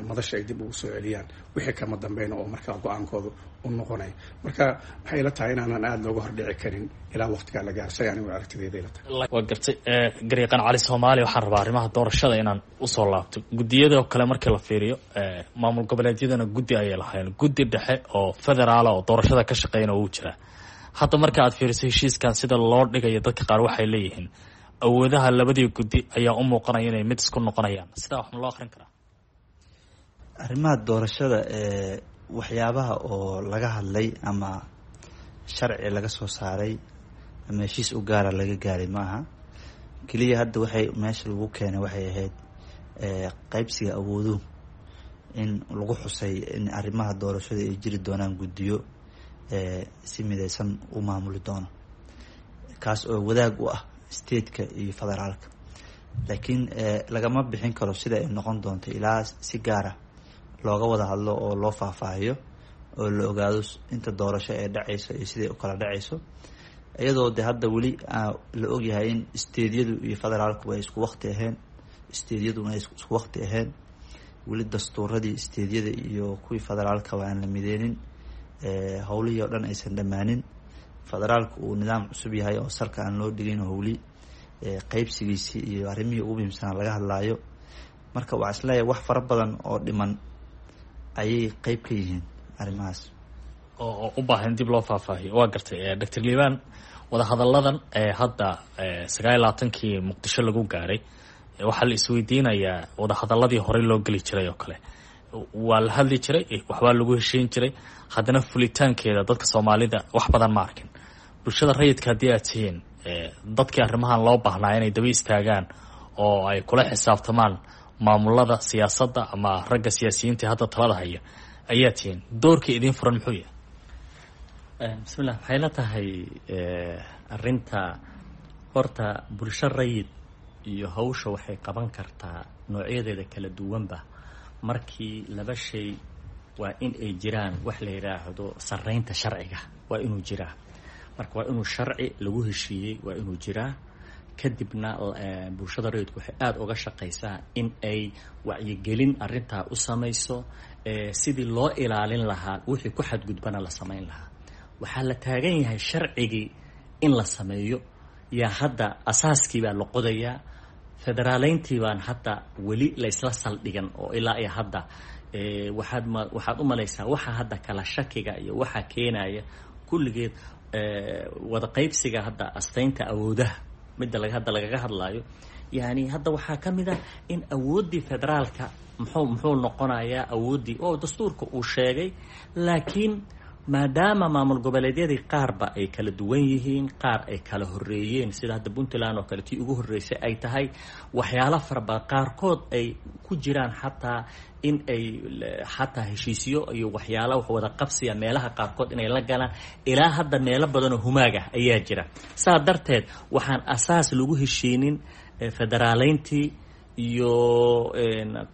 madasha, ay dib ugu soo celiyaan wixii kama dambeyna oo markaa go-aankooda u noqonaya. Marka waxay ila tahay inaanan aada looga hordhici karin ilaa waqtigaa la gaarsay, anigu aragtideeda ila tahay. Waa gartay, garyaqaan Cali Soomaali. Waxaan rabaa arrimaha doorashada inaan usoo laabto. Guddiyada kale markii la fiiriyo, maamul goboleedyadana guddi ayay lahaayeen, guddi dhexe oo federaala oo doorashada ka shaqeyna wuu jiraa. Hadda marka aad fiiriso heshiiskan sida loo dhigayo, dadka qaar waxay leeyihiin awoodaha labadii guddi ayaa u muuqanaya inay mid isku noqonayaan. Sidaa wax ma loo akrin karaa? Arrimaha doorashada ee waxyaabaha oo laga hadlay ama sharci laga soo saaray ama heshiis u gaara laga gaaray ma aha. Keliya hadda waxay meesha lagu keenay waxay ahayd qeybsiga awooduhu in lagu xusay in arrimaha doorashada ay jiri doonaan guddiyo si mideysan u maamuli doono, kaas oo wadaag u ah stateka iyo federaalka. Laakiin lagama bixin karo sida ay noqon doonto ilaa si gaara looga wada hadlo oo loo faahfaahiyo oo la ogaado inta doorasho ee dhacayso iyo siday u kala dhacayso, iyadoo de hadda weli la ogyahay in stateyadu iyo federaalku ay isku waqti ahayn, stateyaduna ay isku waqti ahayn, weli dastuuradii stateyada iyo kuwii federaalkaba aan la mideynin, howlihii oo dhan aysan dhammaanin, federaalku uu nidaam cusub yahay oo salka aan loo dhigin, howli qeybsigiisii iyo arrimihii ugu muhiimsanaa laga hadlaayo. Marka waxaa isleeyahay wax fara badan oo dhiman ayay qeyb ka yihiin arrimahaas oo u baahan dib loo faahfaahiyo. Waa gartay, Doctor Liibaan. Wadahadalladan ee hadda sagaal iyo labaatankii Muqdisho lagu gaaray, waxaa la isweydiinayaa wadahadalladii horey loo geli jiray oo kale waa la hadli jiray, waxbaa lagu heshiin jiray, haddana fulitaankeeda dadka Soomaalida wax badan ma arkin. Bulshada rayidka haddii aad tihiin dadkii arrimahan loo baahnaa inay daba istaagaan oo ay kula xisaabtamaan maamulada siyaasadda ama ragga siyaasiyiinta hadda talada haya ayaa tihiin, doorka idiin furan muxuu yahay? Bismillah. Waxay la tahay arrinta horta bulsho rayid iyo hawsha waxay qaban kartaa noocyadeeda kala duwanba markii laba shay waa in ay jiraan. Wax la yidhaahdo sarreynta sharciga waa inuu jiraa. Marka waa inuu sharci lagu heshiiyey waa inuu jiraa. Kadibna bulshada rayidku waxay aada uga shaqaysaa in ay wacyigelin arrintaa u samayso sidii loo ilaalin lahaa, wixii ku xadgudbana la samayn lahaa. Waxaa la taagan yahay sharcigii in la sameeyo, yaa hadda asaaskii baa la qodayaa. Federaaleyntii baan hadda weli la isla saldhigan oo ilaa iyo hadda waxaad ma waxaad u malaysaa waxa hadda kala shakiga iyo waxa keenaya kulligeed wada qaybsiga hadda astaynta awoodaha midda laga hadda lagaga hadlaayo. Yani hadda waxaa ka mid ah in awooddii federaalka muxuu muxuu noqonayaa awooddii oo dastuurka uu sheegay, laakiin maadaama maamul goboleedyadii qaarba ay kala duwan yihiin, qaar ay kala horeeyeen, sida hadda Puntland oo kale tii ugu horreysay ay tahay, waxyaalo farabadan qaarkood ay ku jiraan, xataa in ay xataa heshiisyo iyo waxyaala wax wada qabsiya meelaha qaarkood inay la galaan, ilaa hadda meelo badanoo humaag ah ayaa jira. Saa darteed waxaan asaas lagu heshiinin federaaleyntii Iyo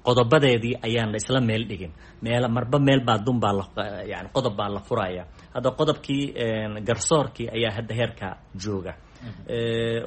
qodobadeedii ayaan la isla meel dhigin. Meel marba meel baa dun baa la yani qodob baa la furaya. Hadda qodobkii garsoorkii ayaa hadda heerka jooga,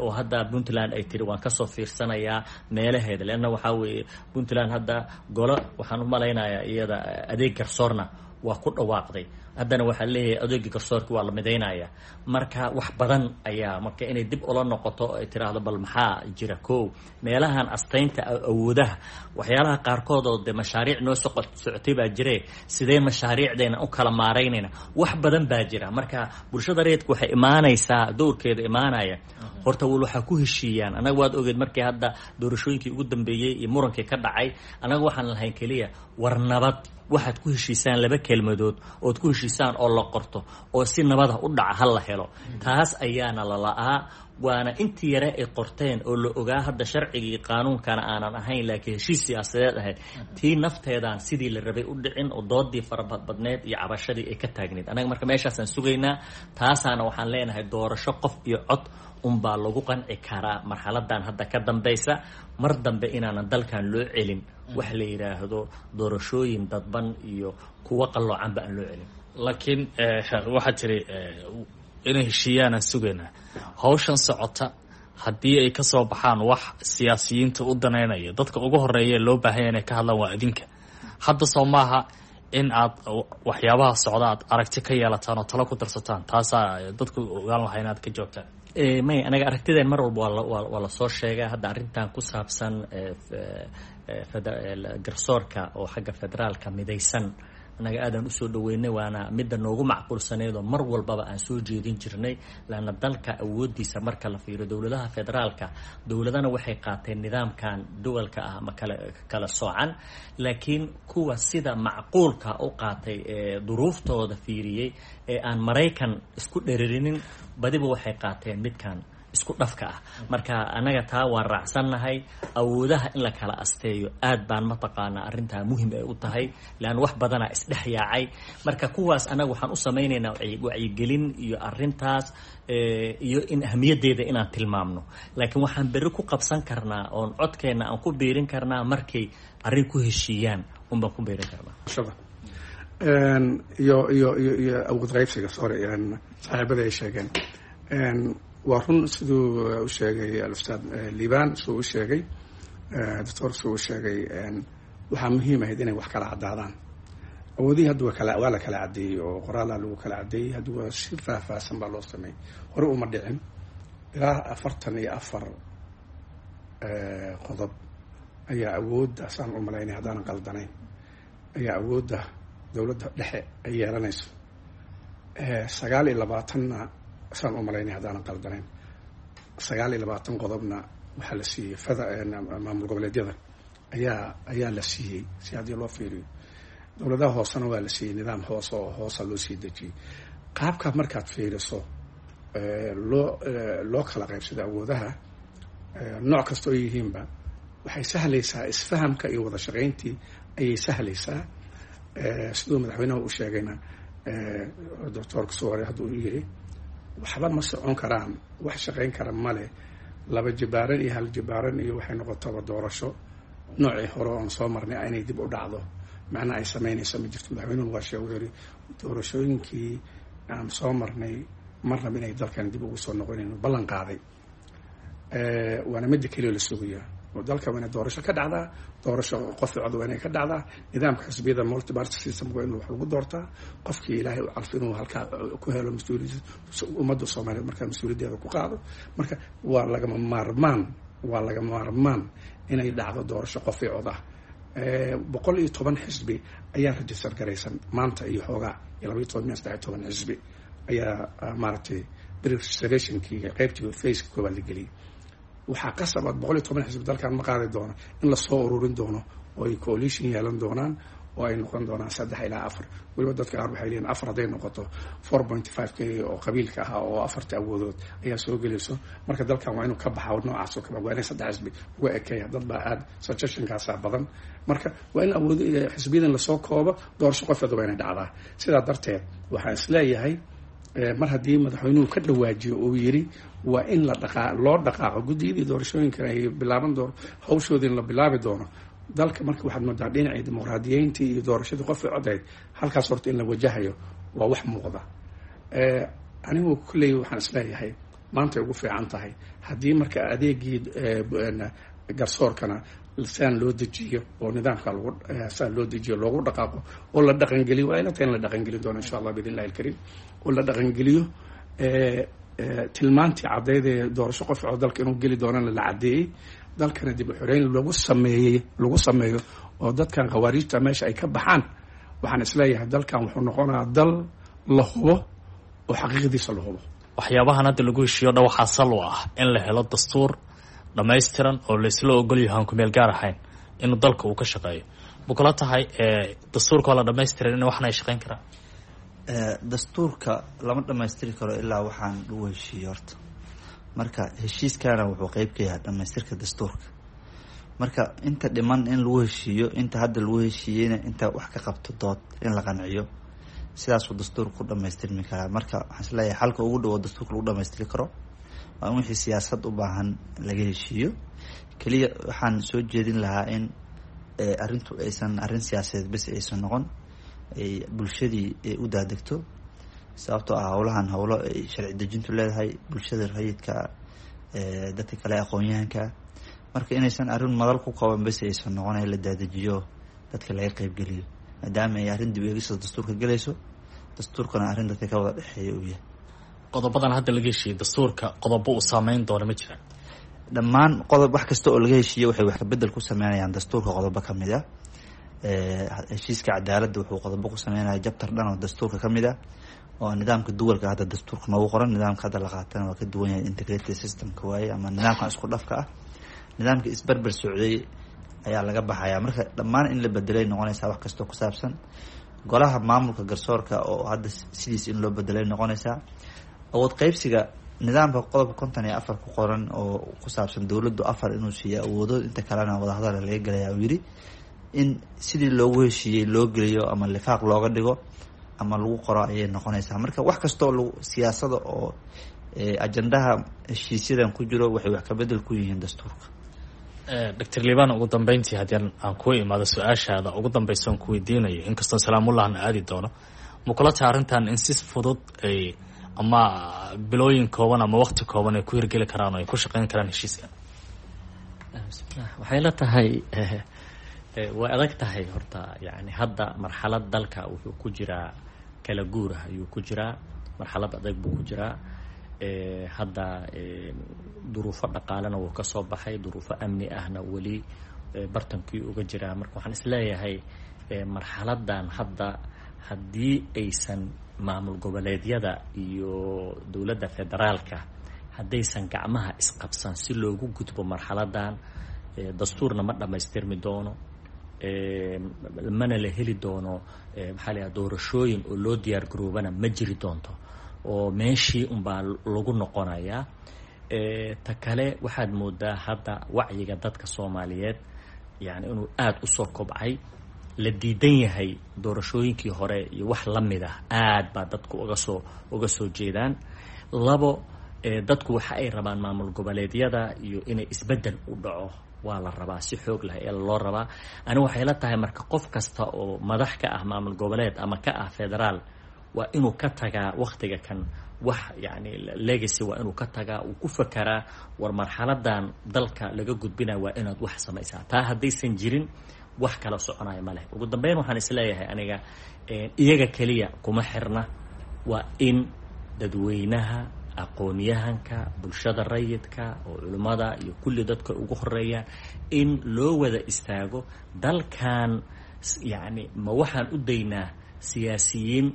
oo hadda Puntland ay tiri waan kasoo fiirsanayaa meelaheeda, leanna waxaa weeye Puntland hadda golo waxaan u malaynayaa iyada adeeg garsoorna waa ku dhawaaqday. Haddana waxaa leeyahay adeegii garsoorka waa la midaynaya. Marka wax badan ayaa marka inay dib ula noqoto ay tiraahdo bal maxaa jira ko meelahan astaynta awoodaha, waxyaalaha qaarkood oo de mashaariic noo soqo socotay baa jire, sidee mashaariicdeena u kala maaraynayna? Wax badan baa jira. Marka bulshada rayidka waxay imaanaysaa dowrkeeda imaanaya horta wal waxaa ku heshiiyaan. Annaga waad ogeed markii hadda doorashooyinkii ugu dambeeyey iyo murankii ka dhacay, annaga waxaan lahayn keliya war nabad waxaad ku heshiisaan, laba kelmadood ood ku heshiisaan oo la qorto oo si nabada u dhaca ha la helo. Taas ayaana la la'aa, waana intii yare ay qorteen oo la ogaa hadda sharcigii qaanuunkana aanan ahayn, laakiin heshiis siyaasadeed ahayd. Tii nafteedaan sidii la rabay u dhicin oo doodii farabadbadneed iyo cabashadii ay ka taagneyd. Annaga marka meeshaasaan sugaynaa, taasaana waxaan leenahay doorasho qof iyo cod unbaa lagu qanci karaa marxaladan hadda ka dambaysa, mar dambe inaanan dalkan loo celin wax la yidhaahdo doorashooyin dadban iyo kuwo qalloocanba aan loo celin. Laakiin waxaa tiri inay heshiiyaanaan sugaynaa. Hawshan socota haddii ay ka soo baxaan wax siyaasiyiinta u daneynaya, dadka ugu horeeya loo baahanya inay ka hadlaan waa idinka. Hadda soo maaha in aad waxyaabaha socda aad aragti ka yeelataan oo talo ku darsataan? Taasaa dadku ogaan lahaa inaad ka joogtaan. May, anaga aragtideen mar walba waa waa lasoo sheegaa. Hadda arrintan ku saabsan garsoorka oo xagga federaalka midaysan, annaga aadaan usoo dhaweynay, waana midda noogu macquulsaneed oo mar walbaba aan soo jeedin jirnay, laanna dalka awoodiisa marka la fiiriyo dowladaha federaalka, dowladana waxay qaateen nidaamkan duwalka ah ama kala kala soocan, laakiin kuwa sida macquulka u qaatay ee duruuftooda fiiriyey ee aan Maraykan isku dheririnin badiba waxay qaateen midkan isku dhafka ah. Marka annaga taa waan raacsannahay. Awoodaha in la kala asteeyo aad baan mataqaanaa arrintaa muhim ay u tahay, leanna wax badanaa isdhex yaacay. Marka kuwaas annaga waxaan u samaynaynaa wacyigelin iyo arrintaas iyo in ahmiyaddeeda inaan tilmaamno, laakiin waxaan berri ku qabsan karnaa oon codkeenna aan ku biirin karnaa markay arrin ku heshiiyaan unbaan ku biirin karnaa. Iyo iyo iyo iyo awood qaybsiga, sorry, saaxiibada ay sheegeen waa run. Siduu u sheegay alustaad Liban, siduu u sheegay doctor, siduu u sheegay, waxaa muhiim ahayd inay wax kala caddaadaan awoodihii. Hadda waa kala waa la kala caddeeyey oo qoraalaa lagu kala caddeeyey. Hadda waa si faahfaahsan baa loo sameeyey, hore uma dhicin. Ilaa afartan iyo afar qodob ayaa awoodda, saan u malaynay haddaanan qaldanayn, ayaa awoodda dowladda dhexe ay yeelanayso. Sagaal iyo labaatanna, saan u malaynay haddaanan qaldanayn, sagaal iyo labaatan qodobna waxaa la siiyey fada maamul goboleedyada ayaa ayaa la siiyey. Si haddii loo fiiriyo dowladaha hoosena waa la siiyey, nidaam hoose oo hoosa loo sii dejiyey. Qaabka markaad fiiriso loo loo kala qaybsado awoodaha nooc kasta oo yihiinba, waxay sahlaysaa isfahamka iyo wada shaqayntii ayay sahlaysaa. Siduu madaxweynaha u sheegayna, doctoorka suware hadduu u yiri, waxba ma socon karaan, wax shaqayn kara male laba jibaaran iyo hal jibaaran iyo waxay noqotaba doorasho noocii hore oon soo marnay inay dib u dhacdo macnaa ay samaynayso ma jirto. Madaxweynuhu waa sheeg, wuxuu yiri doorashooyinkii aan soo marnay marnaba inay dalkan dib ugu soo noqonayno ballan qaaday. Waana midda keliya la sugayaa oo dalka waa inay doorasho ka dhacdaa, doorasho qof cod waa inay ka dhacdaa. Nidaamka xisbiyada multiparty system waa in wax lagu doortaa, qofkii Ilaahay u calfo inuu halkaa ku helo mas-uuliyad ummadda Soomaaliyeed markaa mas-uuliyaddeeda ku qaado. Marka waa lagama maarmaan, waa lagama maarmaan inay dhacdo doorasho qof i cod ah. Boqol iyo toban xisbi ayaa register garaysan maanta iyo xoogaa iyo laba iyo toban miya saddex iyo toban xisbi ayaa maaragtay preregistrationkii qaybtii faceka koowaad la geliyey. Waxaa qasab aad boqol iyo toban xisbi dalkan ma qaadi doono in lasoo ururin doono oo ay coalition yeelan doonaan oo ay noqon doonaan saddex ilaa afar. Weliba dadka qaar waxay leeyihin afar hadday noqoto, four point five k oo qabiilka ahaa oo afarta awoodood ayaa soo gelayso. Marka dalkan waa inuu ka baxa noocaas oo kale, waa inay saddex xisbi uga ekeeya. Dad baa aada suggestionkaasaa badan. Marka waa in awood xisbiyadan lasoo koobo, doorasho qofeeda waa inay dhacdaa. Sidaa darteed waxaan isleeyahay Mar haddii madaxweynuhu ka dhawaajiyo uu yiri waa in la dhaqaa loo dhaqaaqo guddiyadii doorashooyinkana ay bilaaban doono hawshoodii in la bilaabi doono dalka. Marka waxaad moodaa dhinacii dimuqraadiyeyntii iyo doorashadii qofkii codayd halkaas horta in la wajahayo waa wax muuqda. Anigu kulley waxaan isleeyahay maantay ugu fiican tahay haddii marka adeegii garsoorkana saan loo dejiyo oo nidaamka lagu saan loo dejiyo loogu dhaqaaqo oo la dhaqangeliyo, waa ila tahay in la dhaqangelin doono insha Allah biidn illahi alkariim, oo la dhaqangeliyo tilmaantii caddeyd ee doorasho qof oo dalka inuu geli doonana la caddeeyey, dalkana dib u xoreyn lagu sameeyey lagu sameeyo oo dadkan khawaariijta meesha ay ka baxaan. Waxaan isleeyahay dalkan wuxuu noqonayaa dal la hubo oo xaqiiqdiisa la hubo. Waxyaabahan hadda lagu heshiiyo dha waxaa sal u ah in la helo dastuur dhammaystiran oo laysla ogol yahay aan kumeel gaar ahayn inuu dalka uu ka shaqeeyo. Ma kula tahay dastuurka oo la dhamaystiran in waxna ay shaqeyn karaan? Dastuurka lama dhamaystiri karo ilaa waxaan lagu heshiiyo horta. Marka heshiiskana wuxuu qeyb ka yahay dhamaystirka dastuurka. Marka inta dhiman in lagu heshiiyo, inta hadda lagu heshiiyeyna inta wax ka qabto dood in la qanciyo, sidaasuu dastuurka ku dhamaystirmi karaa. Marka waxaan isleeyahay xalka ugu dhowo dastuurka lagu dhamaystiri karo waa in wixii siyaasad u baahan laga heshiiyo. Keliya waxaan soo jeedin lahaa in arrintu aysan arrin siyaasadeed bes aysan noqon, ay bulshadii u daadegto, sababtoo ah howlahan howlo ay sharci dejintu leedahay, bulshada rayidka, dadka kale aqoon-yahanka. Marka inaysan arrin madal ku kooban bes aysan noqon, la daadejiyo, dadka laga qeybgeliyo, maadaama ay arrin dib eegista dastuurka gelayso, dastuurkana arrin dadka ka wada dhexeeya uu yahay. Qodobadan hadda laga heshiiyey dastuurka qodobo uu saameyn doono ma jiraan? Dhammaan qodob wax kasta oo laga heshiiyey waxay wax kabedel ku sameynayaan dastuurka qodobo ka mid ah. Heshiiska cadaaladda wuxuu qodobo ku sameynaya jabtar dhan oo dastuurka ka mid ah, oo nidaamka duwalka hadda dastuurka noogu qoran. Nidaamka hadda la qaatana waa ka duwan yahay, integrated systemka waaye ama nidaamkan isku dhafka ah. Nidaamka isberber socday ayaa laga baxaya. Marka dhammaan in la bedelay noqonaysaa wax kastoo ku saabsan golaha maamulka garsoorka oo hadda sidiis in loo bedelay noqonaysaa. Awood qeybsiga nidaamka qodobka konton iyo afar ku qoran oo ku saabsan dowladdu afar inuu siiyo awoodo, inta kalena wadahadala laga gelaya uu yidhi, in sidii loogu heshiiyey loo geliyo ama lifaaq looga dhigo ama lagu qoro ayay noqonaysaa. Marka wax kastoo lag siyaasada oo ajandaha heshiisyadan ku jiro waxay wax kabedel ku yihiin dastuurka. Doctor Liban, ugu dambeyntii haddii aan kuu imaado su-aashaada ugu dambeysa on ku weydiinayo, inkastoo salaamullahna aadi doono, ma kula tahay arrintan in si fudud ay ama bilooyin kooban ama waqti kooban ay ku hirgeli karaan oo ay ku shaqeyn karaan heshiiskan? Bismillah, waxay la tahay way adag tahay horta. Yani hadda marxalad dalka wuxuu ku jiraa kala guurah ayuu ku jiraa, marxalad adag buu ku jiraa hadda. Duruufo dhaqaalena wuu ka soo baxay, duruufo amni ahna weli bartankii uga jiraa. Marka waxaan isleeyahay marxaladan hadda haddii aysan maamul goboleedyada iyo dowladda federaalka haddaysan gacmaha isqabsan si loogu gudbo marxaladan, dastuurna ma dhammaystirmi doono, mana la heli doono maxaa la yidhaha doorashooyin oo loo diyaar garoobana ma jiri doonto, oo meeshii unbaa lagu noqonayaa. Ta kale, waxaad moodaa hadda wacyiga dadka Soomaaliyeed yani inuu aada usoo kobcay, la diidan yahay doorashooyinkii hore iyo wax la mid ah, aad baa dadku uga soo uga soo jeedaan. Labo, dadku waxa ay rabaan maamul goboleedyada iyo inay isbeddel u dhaco waa la rabaa, si xoog leh ee loo rabaa. Ani waxay la tahay marka qof kasta oo madax ka ah maamul goboleed ama ka ah federaal waa inuu ka tagaa waktiga kan wax yani legacy, waa inuu ka tagaa, uu ku fakaraa war marxaladan dalka laga gudbinayo waa inaad wax samaysaa. Taa haddaysan jirin wax kala soconaya ma leh. Ugu dambeyn waxaan isleeyahay aniga iyaga keliya kuma xirna, waa in dadweynaha, aqoon-yahanka, bulshada rayidka oo culimmada iyo kulli dadka ugu horeeyaan in loo wada istaago dalkan. Yacni ma waxaan u daynaa siyaasiyiin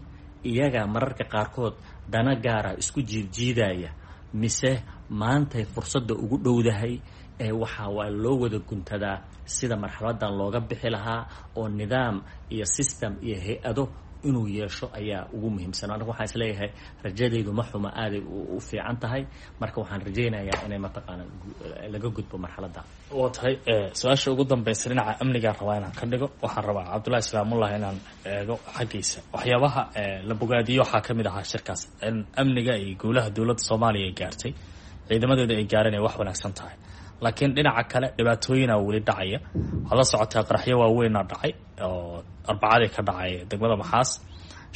iyaga mararka qaarkood dana gaara isku jiidjiidaya, mise maantay fursadda ugu dhowdahay ee waxaa waa loo wada guntadaa sida marxaladan looga bixi lahaa oo nidaam iyo system iyo hay-ado inuu yeesho ayaa ugu muhiimsan. Anigu waxaan isleeyahay rajadaydu ma xuma, aaday u fiican tahay. Marka waxaan rajaynayaa inay mataqaana laga gudbo marxaladda. Waa tahay. Su-aasha ugu dambeysa dhinaca amnigaan rabaa inaan ka dhigo. Waxaan rabaa Cabdullahi Islaamullah inaan eego xaggiisa. Waxyaabaha la bogaadiyo waxaa ka mid ahaa shirkaas in amniga iyo guulaha dowladda Soomaaliya ay gaartay, ciidamadeeda ay gaareen ay wax wanaagsan tahay, laakiin dhinaca kale dhibaatooyinaa weli dhacaya. Waxaad la socotaa qaraxyo waaweynaa dhacay oo arbacadii ka dhacay degmada Maxaas.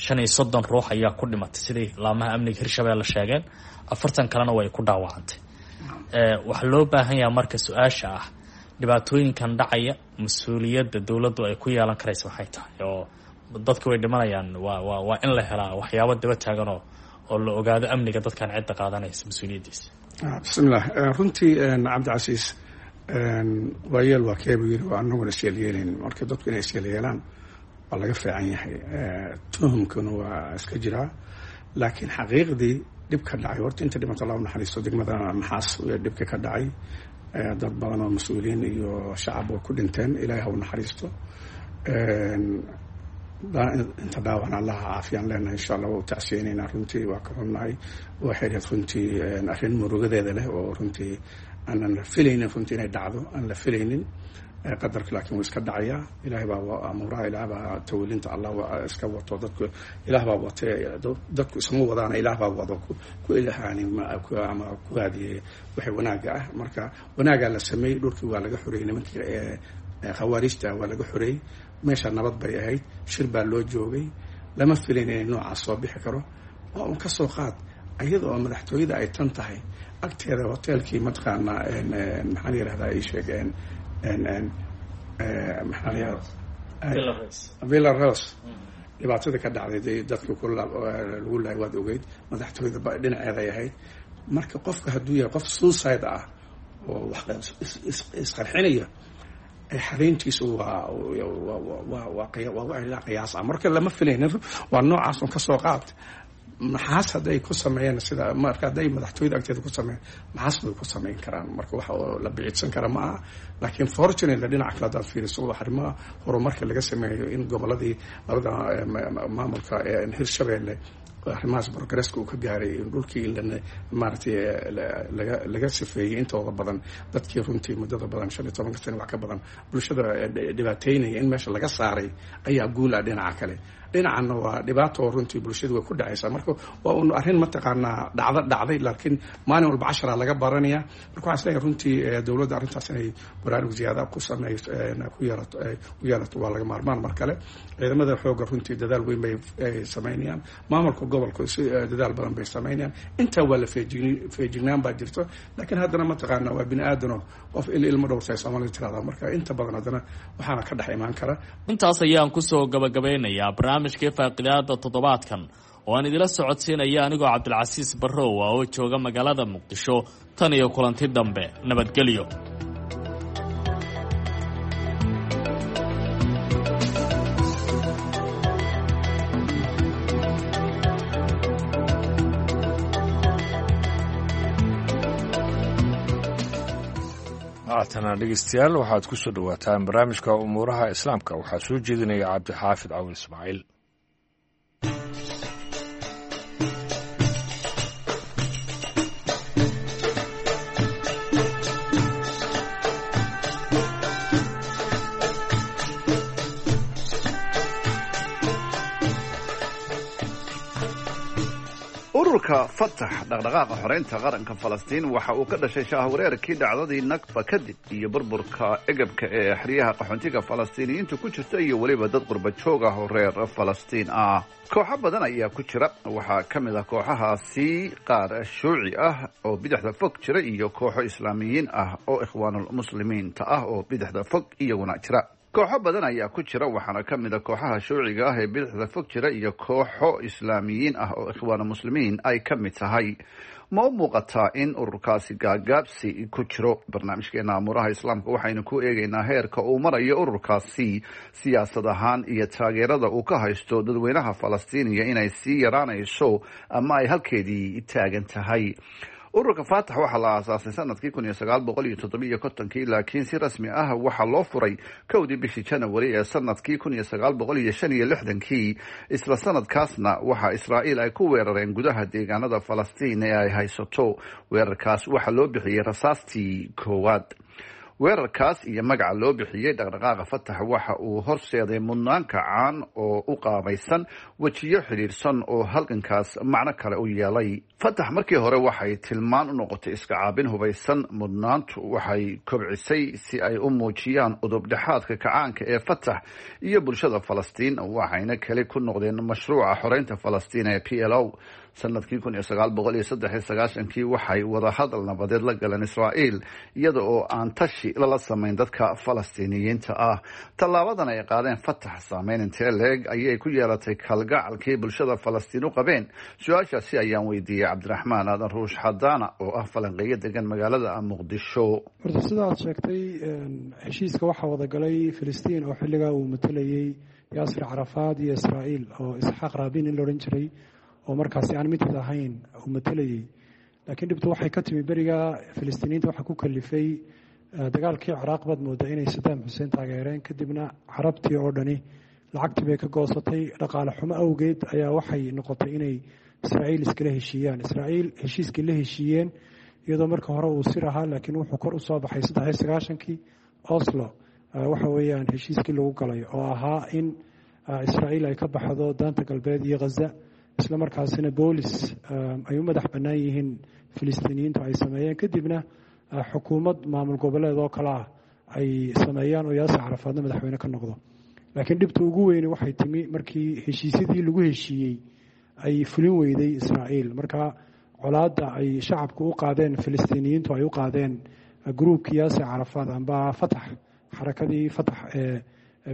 Shan iyo soddon ruux ayaa ku dhimatay siday laamaha amniga Hirshabeelle sheegeen, afartan kalena way ku dhaawacantay. Waxaa loo baahan yahaa marka su-aasha ah, dhibaatooyinkan dhacaya mas-uuliyadda dowladdu ay ku yeelan karaysa waxay tahay oo dadka way dhimanayaan, waa waa waa in la helaa waxyaabo daba taagan oo oo la ogaado amniga dadkan cidda qaadanaysa mas-uuliyaddiisa. Bismillaah. Runtii Cabdicasiis, waayeel waa keebu yiri, waa anaguna isyeelyeelayn. Marka dadku inay isyeelyeelaan waa laga fiican yahay, tuhumkuna waa iska jiraa, laakiin xaqiiqdii dhib ka dhacay horta inta dhimata Allah u naxariisto. Degmada Maxaas dhibka ka dhacay dad badan oo mas-uuliyiin iyo shacab oo ku dhinteen, Ilaahay ha u naxariisto. Inta dhaawacna Allaha caafiyaan leenahay, insha Allah. Waa u tacsiyeynaynaa, runtii waa ka xunnahay. Waxay ahayd runtii arrin murugadeeda leh oo runtii aanan la filaynin, runtii inay dhacdo aan la filaynin. Qadarka laakiin wuu iska dhacayaa. Ilaahay baa amuuraha, Ilaah baa tawalinta, Allah iska wato. Dadku Ilaah baa watee, dadku isma wadaana, Ilaah baa wado ku ilhaani ama ku haadiyey waxay wanaaga ah. Marka wanaagaa la sameeyey, dhulkii waa laga xoreeyey nimankii khawaarijta, waa laga xoreeyey meesha, nabad bay ahayd, shir baa loo joogay. Lama filayn inay noocaas soo bixi karo. Waa un ka soo qaad iyada oo madaxtooyada ay tan tahay agteeda hoteelkii, mataqaanaa, maxaa la yirahdaa, ii sheeg, maxaa la yirahdaa, Villa Rose, dhibaatada ka dhacday, dadka ku lagu lahay waad ogeyd, madaxtooyada dhinaceeday ahayd. Marka qofka hadduu yahay qof suicide ah oo wax isqarxinaya, xarayntiisu waa waa waa waa qiyaas ah. Marka lama filaynin waa noocaas. Un kasoo qaad Maxaas hadday ku sameeyeen sida, marka hadday madaxtooyada agteeda ku sameeyeen, Maxaas way ku sameyn karaan. Marka waxa oo la biciidsan kara ma aha. Laakiin fortunately dhinaca kale haddaad fiiriso, arrimaha horumarka laga sameeyo in goboladii labada maamulka Hirshabeelle arrimahaas progresska uu ka gaaray, in dhulkii maaragtay laga laga sifeeyey intooda badan dadkii runtii muddada badan, shan iyo tobanka sano wax ka badan, bulshada dhibaateynaya in meesha laga saaray ayaa guul ah dhinaca kale. Dhinacanna waa dhibaato oo runtii bulshadu way ku dhacaysaa. Marka waa un arrin mataqaanaa dhacdo dhacday, laakiin maalin walba casharaa laga baranaya. Marka waxaan isleeyahay runtii dowladda arrintaas inay baraarug ziyaada ku sameeyso ku yeelato ku yeelato waa laga maarmaan. Mar kale ciidamada xoogga runtii dadaal weyn bay samaynayaan, maamulka gobolka si dadaal badan bay samaynayaan. Intaa waa la feejign feejignaan baa jirto, laakiin haddana mataqaanaa waa bini aadano, qof il ilmo dhowrtay Soomaalida tirahdaa. Marka inta badan haddana waxaana ka dhex imaan kara. Intaas ayaan kusoo gabagabeynayaa barnaamijkii faaqidaada toddobaadkan oo aan idila socodsiinaya anigoo Cabdilcasiis Barrow ah oo jooga magaalada Muqdisho. Tan iyo kulanti dambe, nabadgelyo. Haatana dhegeystayaal, waxaad ku soo dhowaataan barnaamijka umuuraha islaamka. Waxaa soo jeedinaya Cabdixaafid Cawin Ismaaciil. Ururka Fatax, dhaqdhaqaaqa xoreynta qaranka Falastiin, waxa uu ka dhashay shahwareerkii dhacdadii Nakba kadib iyo burburka egabka ee xeryaha qaxoontiga Falastiiniyiinta ku jirta iyo weliba dad qurba joog ah oo reer Falastiin ah. Kooxo badan ayaa ku jira. Waxaa ka mid ah kooxahaasi qaar shuuci ah oo bidixda fog jira iyo kooxo islaamiyiin ah oo Ikhwaanulmuslimiinta ah oo bidixda fog iyaguna jira. Kooxo badan ayaa ku jira, waxaana ka mid a kooxaha shuuciga ah ee bidixda fog jira iyo kooxo islaamiyiin ah oo Ikhwaanu Muslimiin ay ka mid tahay. Ma u muuqataa in ururkaasi gaagaabsi ku jiro? Barnaamijkeena amuuraha islaamka waxaynu ku eegaynaa heerka uu marayo ururkaasi siyaasad ahaan iyo taageerada uu ka haysto dadweynaha Falastiiniya inay sii yaraanayso ama ay halkeedii taagan tahay. Ururka Faatax waxaa la aasaasay sanadkii kun iyo sagaal boqol iyo toddobiiyo kontonkii, laakiin si rasmi ah waxaa loo furay kowdii bishii Janawari ee sanadkii kun iyo sagaal boqol iyo shan iyo lixdankii. Isla sanadkaasna waxaa Israa'iil ay ku weerareen gudaha deegaanada Falastiin ee ay haysato. Weerarkaas waxaa loo bixiyey rasaastii koowaad. Weerarkaas iyo magaca loo bixiyey dhaqdhaqaaqa Fatax waxa uu horseeday mudnaan kacaan oo u qaabaysan wejiyo xidhiidhsan oo halgankaas macno kale u yeelay. Fatax markii hore waxay tilmaan u noqotay iska caabin hubaysan. Mudnaantu waxay kobcisay si ay u muujiyaan udubdhexaadka kacaanka ee Fatax iyo bulshada Falastiin, waxayna kale ku noqdeen mashruuca xoreynta Falastiin ee P L O. Sanadkii kun iyo sagaal boqol iyo saddex iyo sagaashankii waxay wadahadal nabadeed la galeen Israa'iil iyada oo aan tashi lala samayn dadka Falastiiniyiinta ah. Tallaabadan ay qaadeen Fatax saameyn intee leeg ayay ku yeelatay kalgacalkii bulshada Falastiin u qabeen? Su-aashaasi ayaan weydiiyey Cabdiraxmaan Aadan Ruush Xadaana oo ah falanqeeyo degan magaalada Muqdisho. Horta sidaad sheegtay, heshiiska waxaa wadagalay Filistiin oo xilligaa uu matalayay Yaasir Carafaad iyo Israa'iil oo Isxaaq Raabin in la odhan jiray oo markaasi aan midid ahayn uu matalayay. Laakiin dhibtu waxay ka timi beriga Filistiiniyiinta waxaa ku kalifay dagaalkii Ciraaq baad moodaa inay Sadaam Xuseen taageereen, kadibna carabtii oo dhani lacagtii bay ka goosatay. Dhaqaale xumo awgeed ayaa waxay noqotay inay Israa'iil iskala heshiiyaan. Israa'iil heshiiskii la heshiiyeen iyadoo marka hore uu sir ahaa, laakiin wuxuu kor u soo baxay saddex iyo sagaashankii Oslo, waxa weeyaan heshiiskii lagu galay oo ahaa in Israa'iil ay ka baxdo daanta galbeed iyo Ghaza, isla markaasina boolis ay u madax bannaan yihiin Filistiiniyiintu ay sameeyeen, kadibna xukuumad maamul goboleed oo kale ah ay sameeyaan oo Yaasir Carafaadna madaxweyne ka noqdo. Laakiin dhibta ugu weyni waxay timi markii heshiisyadii lagu heshiiyey ay fulin weyday Israa'iil. Marka colaadda ay shacabku u qaadeen Filistiiniyiintu ay u qaadeen gruubkii Yaasir Carafaad amba Fatax, xarakadii Fatax ee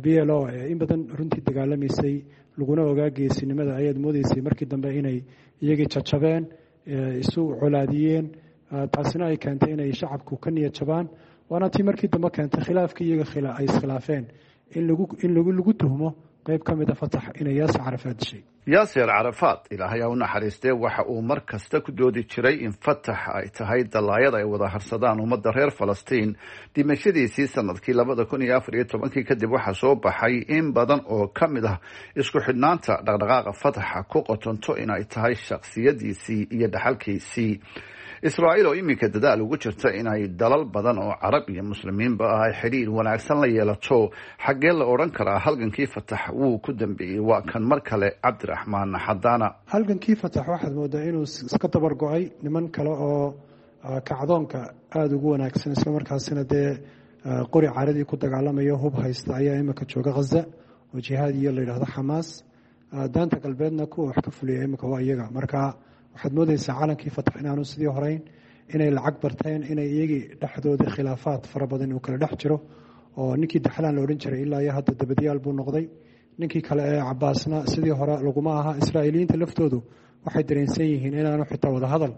B L O ee in badan runtii dagaalamaysay laguna ogaa geesinimada, ayaad moodeysay markii dambe inay iyagii jajabeen, isu colaadiyeen, taasina ay keentay inay shacabku ka niyad jabaan. Waana tii markii dambe keentay khilaafkii iyaga ay iskhilaafeen in lagu in lagu lagu tuhmo qayb ka mid a Fatax inay Yaasir Carafaad dishay. Yaasir Carafaad, Ilaahay ha u naxariistee, waxa uu mar kasta ku doodi jiray in Fatax ay tahay dalaayad ay wada harsadaan ummadda reer Falastiin. Dhimashadiisii sanadkii labada kun iyo afar iyo tobankii kadib waxaa soo baxay in badan oo ka mid ah isku xidhnaanta dhaqdhaqaaqa Fataxa ku qotonto inay tahay shakhsiyadiisii iyo dhaxalkiisii. Israa'iil oo iminka dadaal ugu jirta inay dalal badan oo carab iyo muslimiinba ah ay xidhiir wanaagsan la yeelato, xaggee la odhan karaa halgankii Fatax wuu ku dambeeyey? Waa kan mar kale Cabdiraxmaan Xadaana. Halgankii Fatax waxaad moodaa inuu iska dabar go-ay. Niman kale oo kacdoonka aada ugu wanaagsan isla markaasina dee qori caradii ku dagaalamayo hub haysta ayaa imika jooga Ghaza oo jihaad iyo la yidhaahdo Xamaas. Daanta galbeedna kuwa wax ka fuliya imika waa iyaga. Marka waxaad moodaysaa calankii Fatax inaanu sidii horeyn, inay lacag barteen, inay iyagii dhexdooda khilaafaad fara badan uu kala dhex jiro oo ninkii Daxlaan la odhan jiray ilaa iyo hadda dabadyaal buu noqday, ninkii kale ee Cabaasna sidii hore laguma aha. Israa'iiliyiinta laftoodu waxay dareensan yihiin inaanu xitaa wadahadal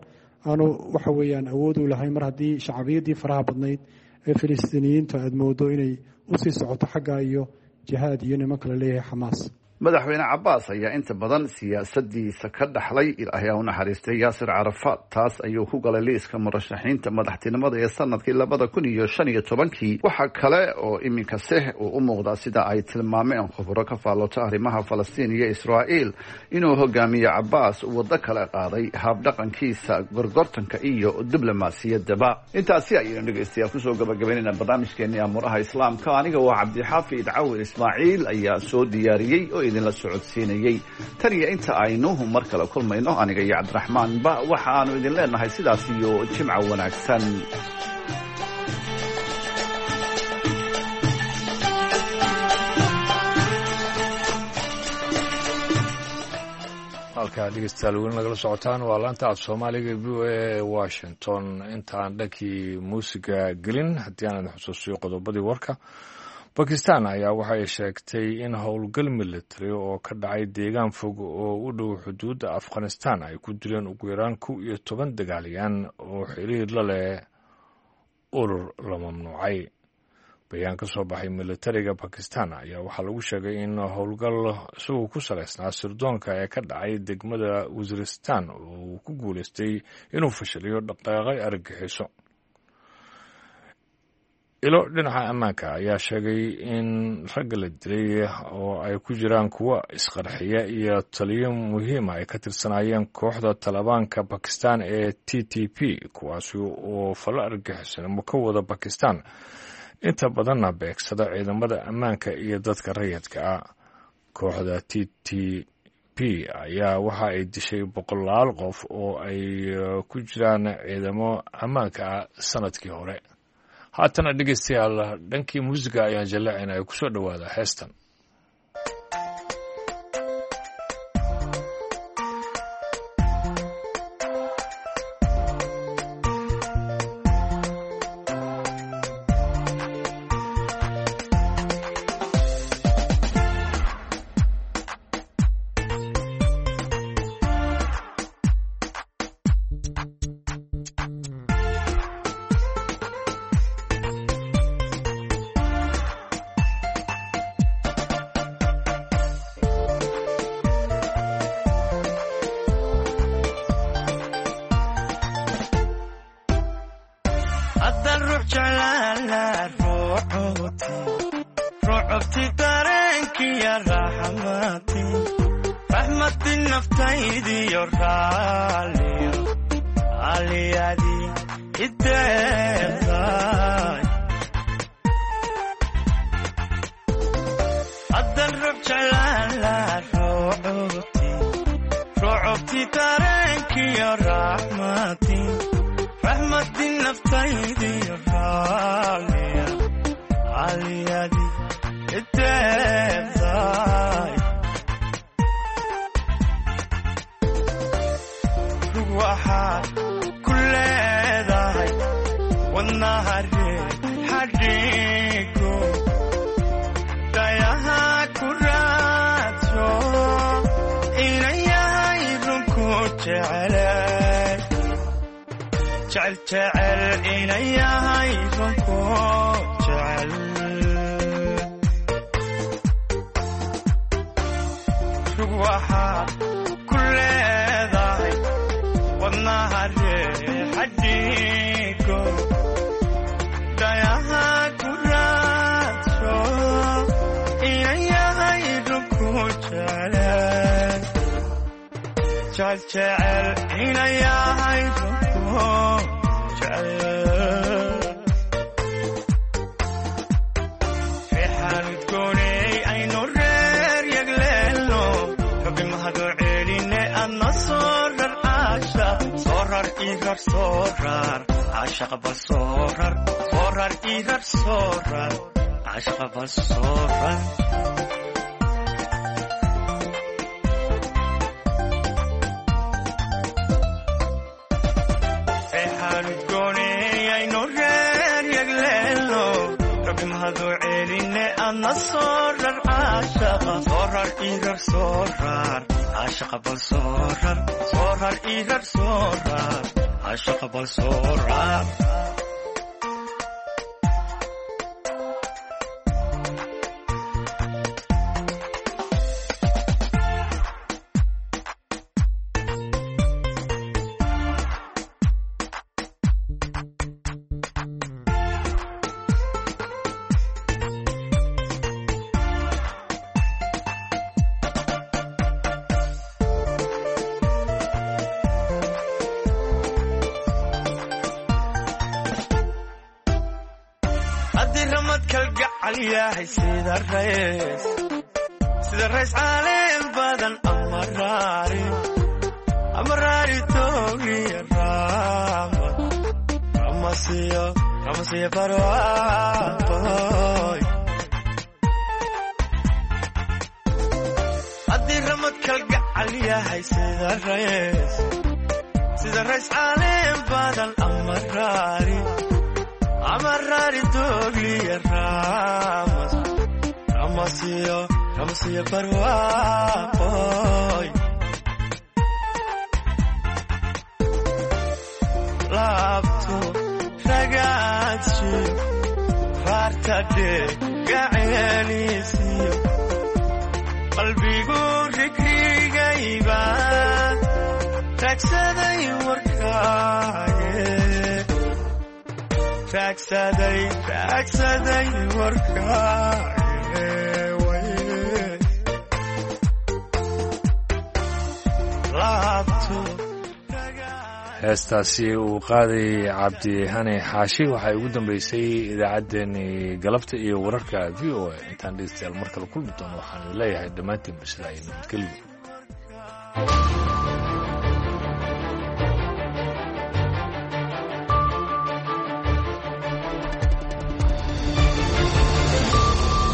aanu waxa weeyaan awood u lahayn mar haddii shacbiyadii faraha badnayd ee Filistiiniyiinta aad moodo inay usii socoto xagga iyo jihaad iyo nimanka la leeyahay Xamaas. Madaxweyne Cabaas ayaa inta badan siyaasadiisa ka dhaxlay Ilaahay ha u naxariistay Yaasir Carafaad. Taas ayuu ku galay liiska murashaxiinta madaxtinimada ee sanadkii labada kun iyo shan iyo tobankii. Waxaa kale oo iminka seh uu u muuqdaa, sida ay tilmaameen khubro ka faallota arrimaha Falastiin iyo Israa'iil, inuu hogaamiye Cabaas waddo kale qaaday habdhaqankiisa gorgortanka iyo diblomaasiyaddaba. Intaasi ayaynu dhegeystayaal kusoo gabagabaynayna barnaamijkeenii Amuuraha Islaamka. Aniga waa Cabdixaafid Cawir Ismaaciil ayaa soo diyaariyey oo idinla socodsiinayey. Tan iyo inta aynu mar kale kulmayno, aniga iyo Cabdiraxmaanba waxa aanu idin leenahay sidaas iyo jimca wanaagsan. Halkaa dhegeystayaal weli nagala socotaan waa laanta af Soomaaliga V O A Washington. Intaan dhankii muusiga gelin, haddii aan idin xusuusiyo qodobadii warka. Bakistan ayaa waxay sheegtay in howlgal military oo ka dhacay deegaan fog oo u dhow xuduudda Afghanistan ay ku dileen ugu yaraan kow iyo toban dagaalyan oo xiriir la leh urur la mamnuucay. Bayaan ka soo baxay militariga Bakistan ayaa waxaa lagu sheegay in howlgal isagoo ku salaysnaa sirdoonka ee ka dhacay degmada Wasiristan oo uu ku guulaystay inuu fashiliyo dhaqaaqay argagixiso. Ilo dhinaca ammaanka ayaa sheegay in ragga la dilay oo ay ku jiraan kuwa isqarxiya iyo taliyo muhiima ay ka tirsanaayeen kooxda Talibaanka Bakistan ee T T P, kuwaasi oo falo argagixisnimo ka wada Bakistan, inta badanna beegsada ciidamada ammaanka iyo dadka rayidka ah. Kooxda T T P ayaa waxa ay dishay boqolaal qof oo ay ku jiraan ciidamo ammaanka ah sanadkii hore. Haatana dhegeystayaal, dhankii muusiga ayaan jallacayna ay kusoo dhowaada heestan. Sida rays caleen badan ama raari ama raari toogiya raamad ramasiyo ramasiyo barwaaqoy haddii ramad kalgacal yahay sida rays sida rays caleen badan ama raari ama raari toogiya raamad ramasiyo ramasiyo barwaaqoy laabto ragaadshi raarta Hadee gaceeliisiyo qalbigu rigrigayba raagsaday warkaaye, raagsaday raagsaday warkaaye way laabto. Heestaasi uu qaaday Cabdihani Xaashi waxay ugu dambeysay idaacaddeenii galabta iyo wararka V O A. Intaan dhegeystayaal mar kale kulmi doono, waxaan leeyahay dhammaantiin sidaa iyo nabadgelyo.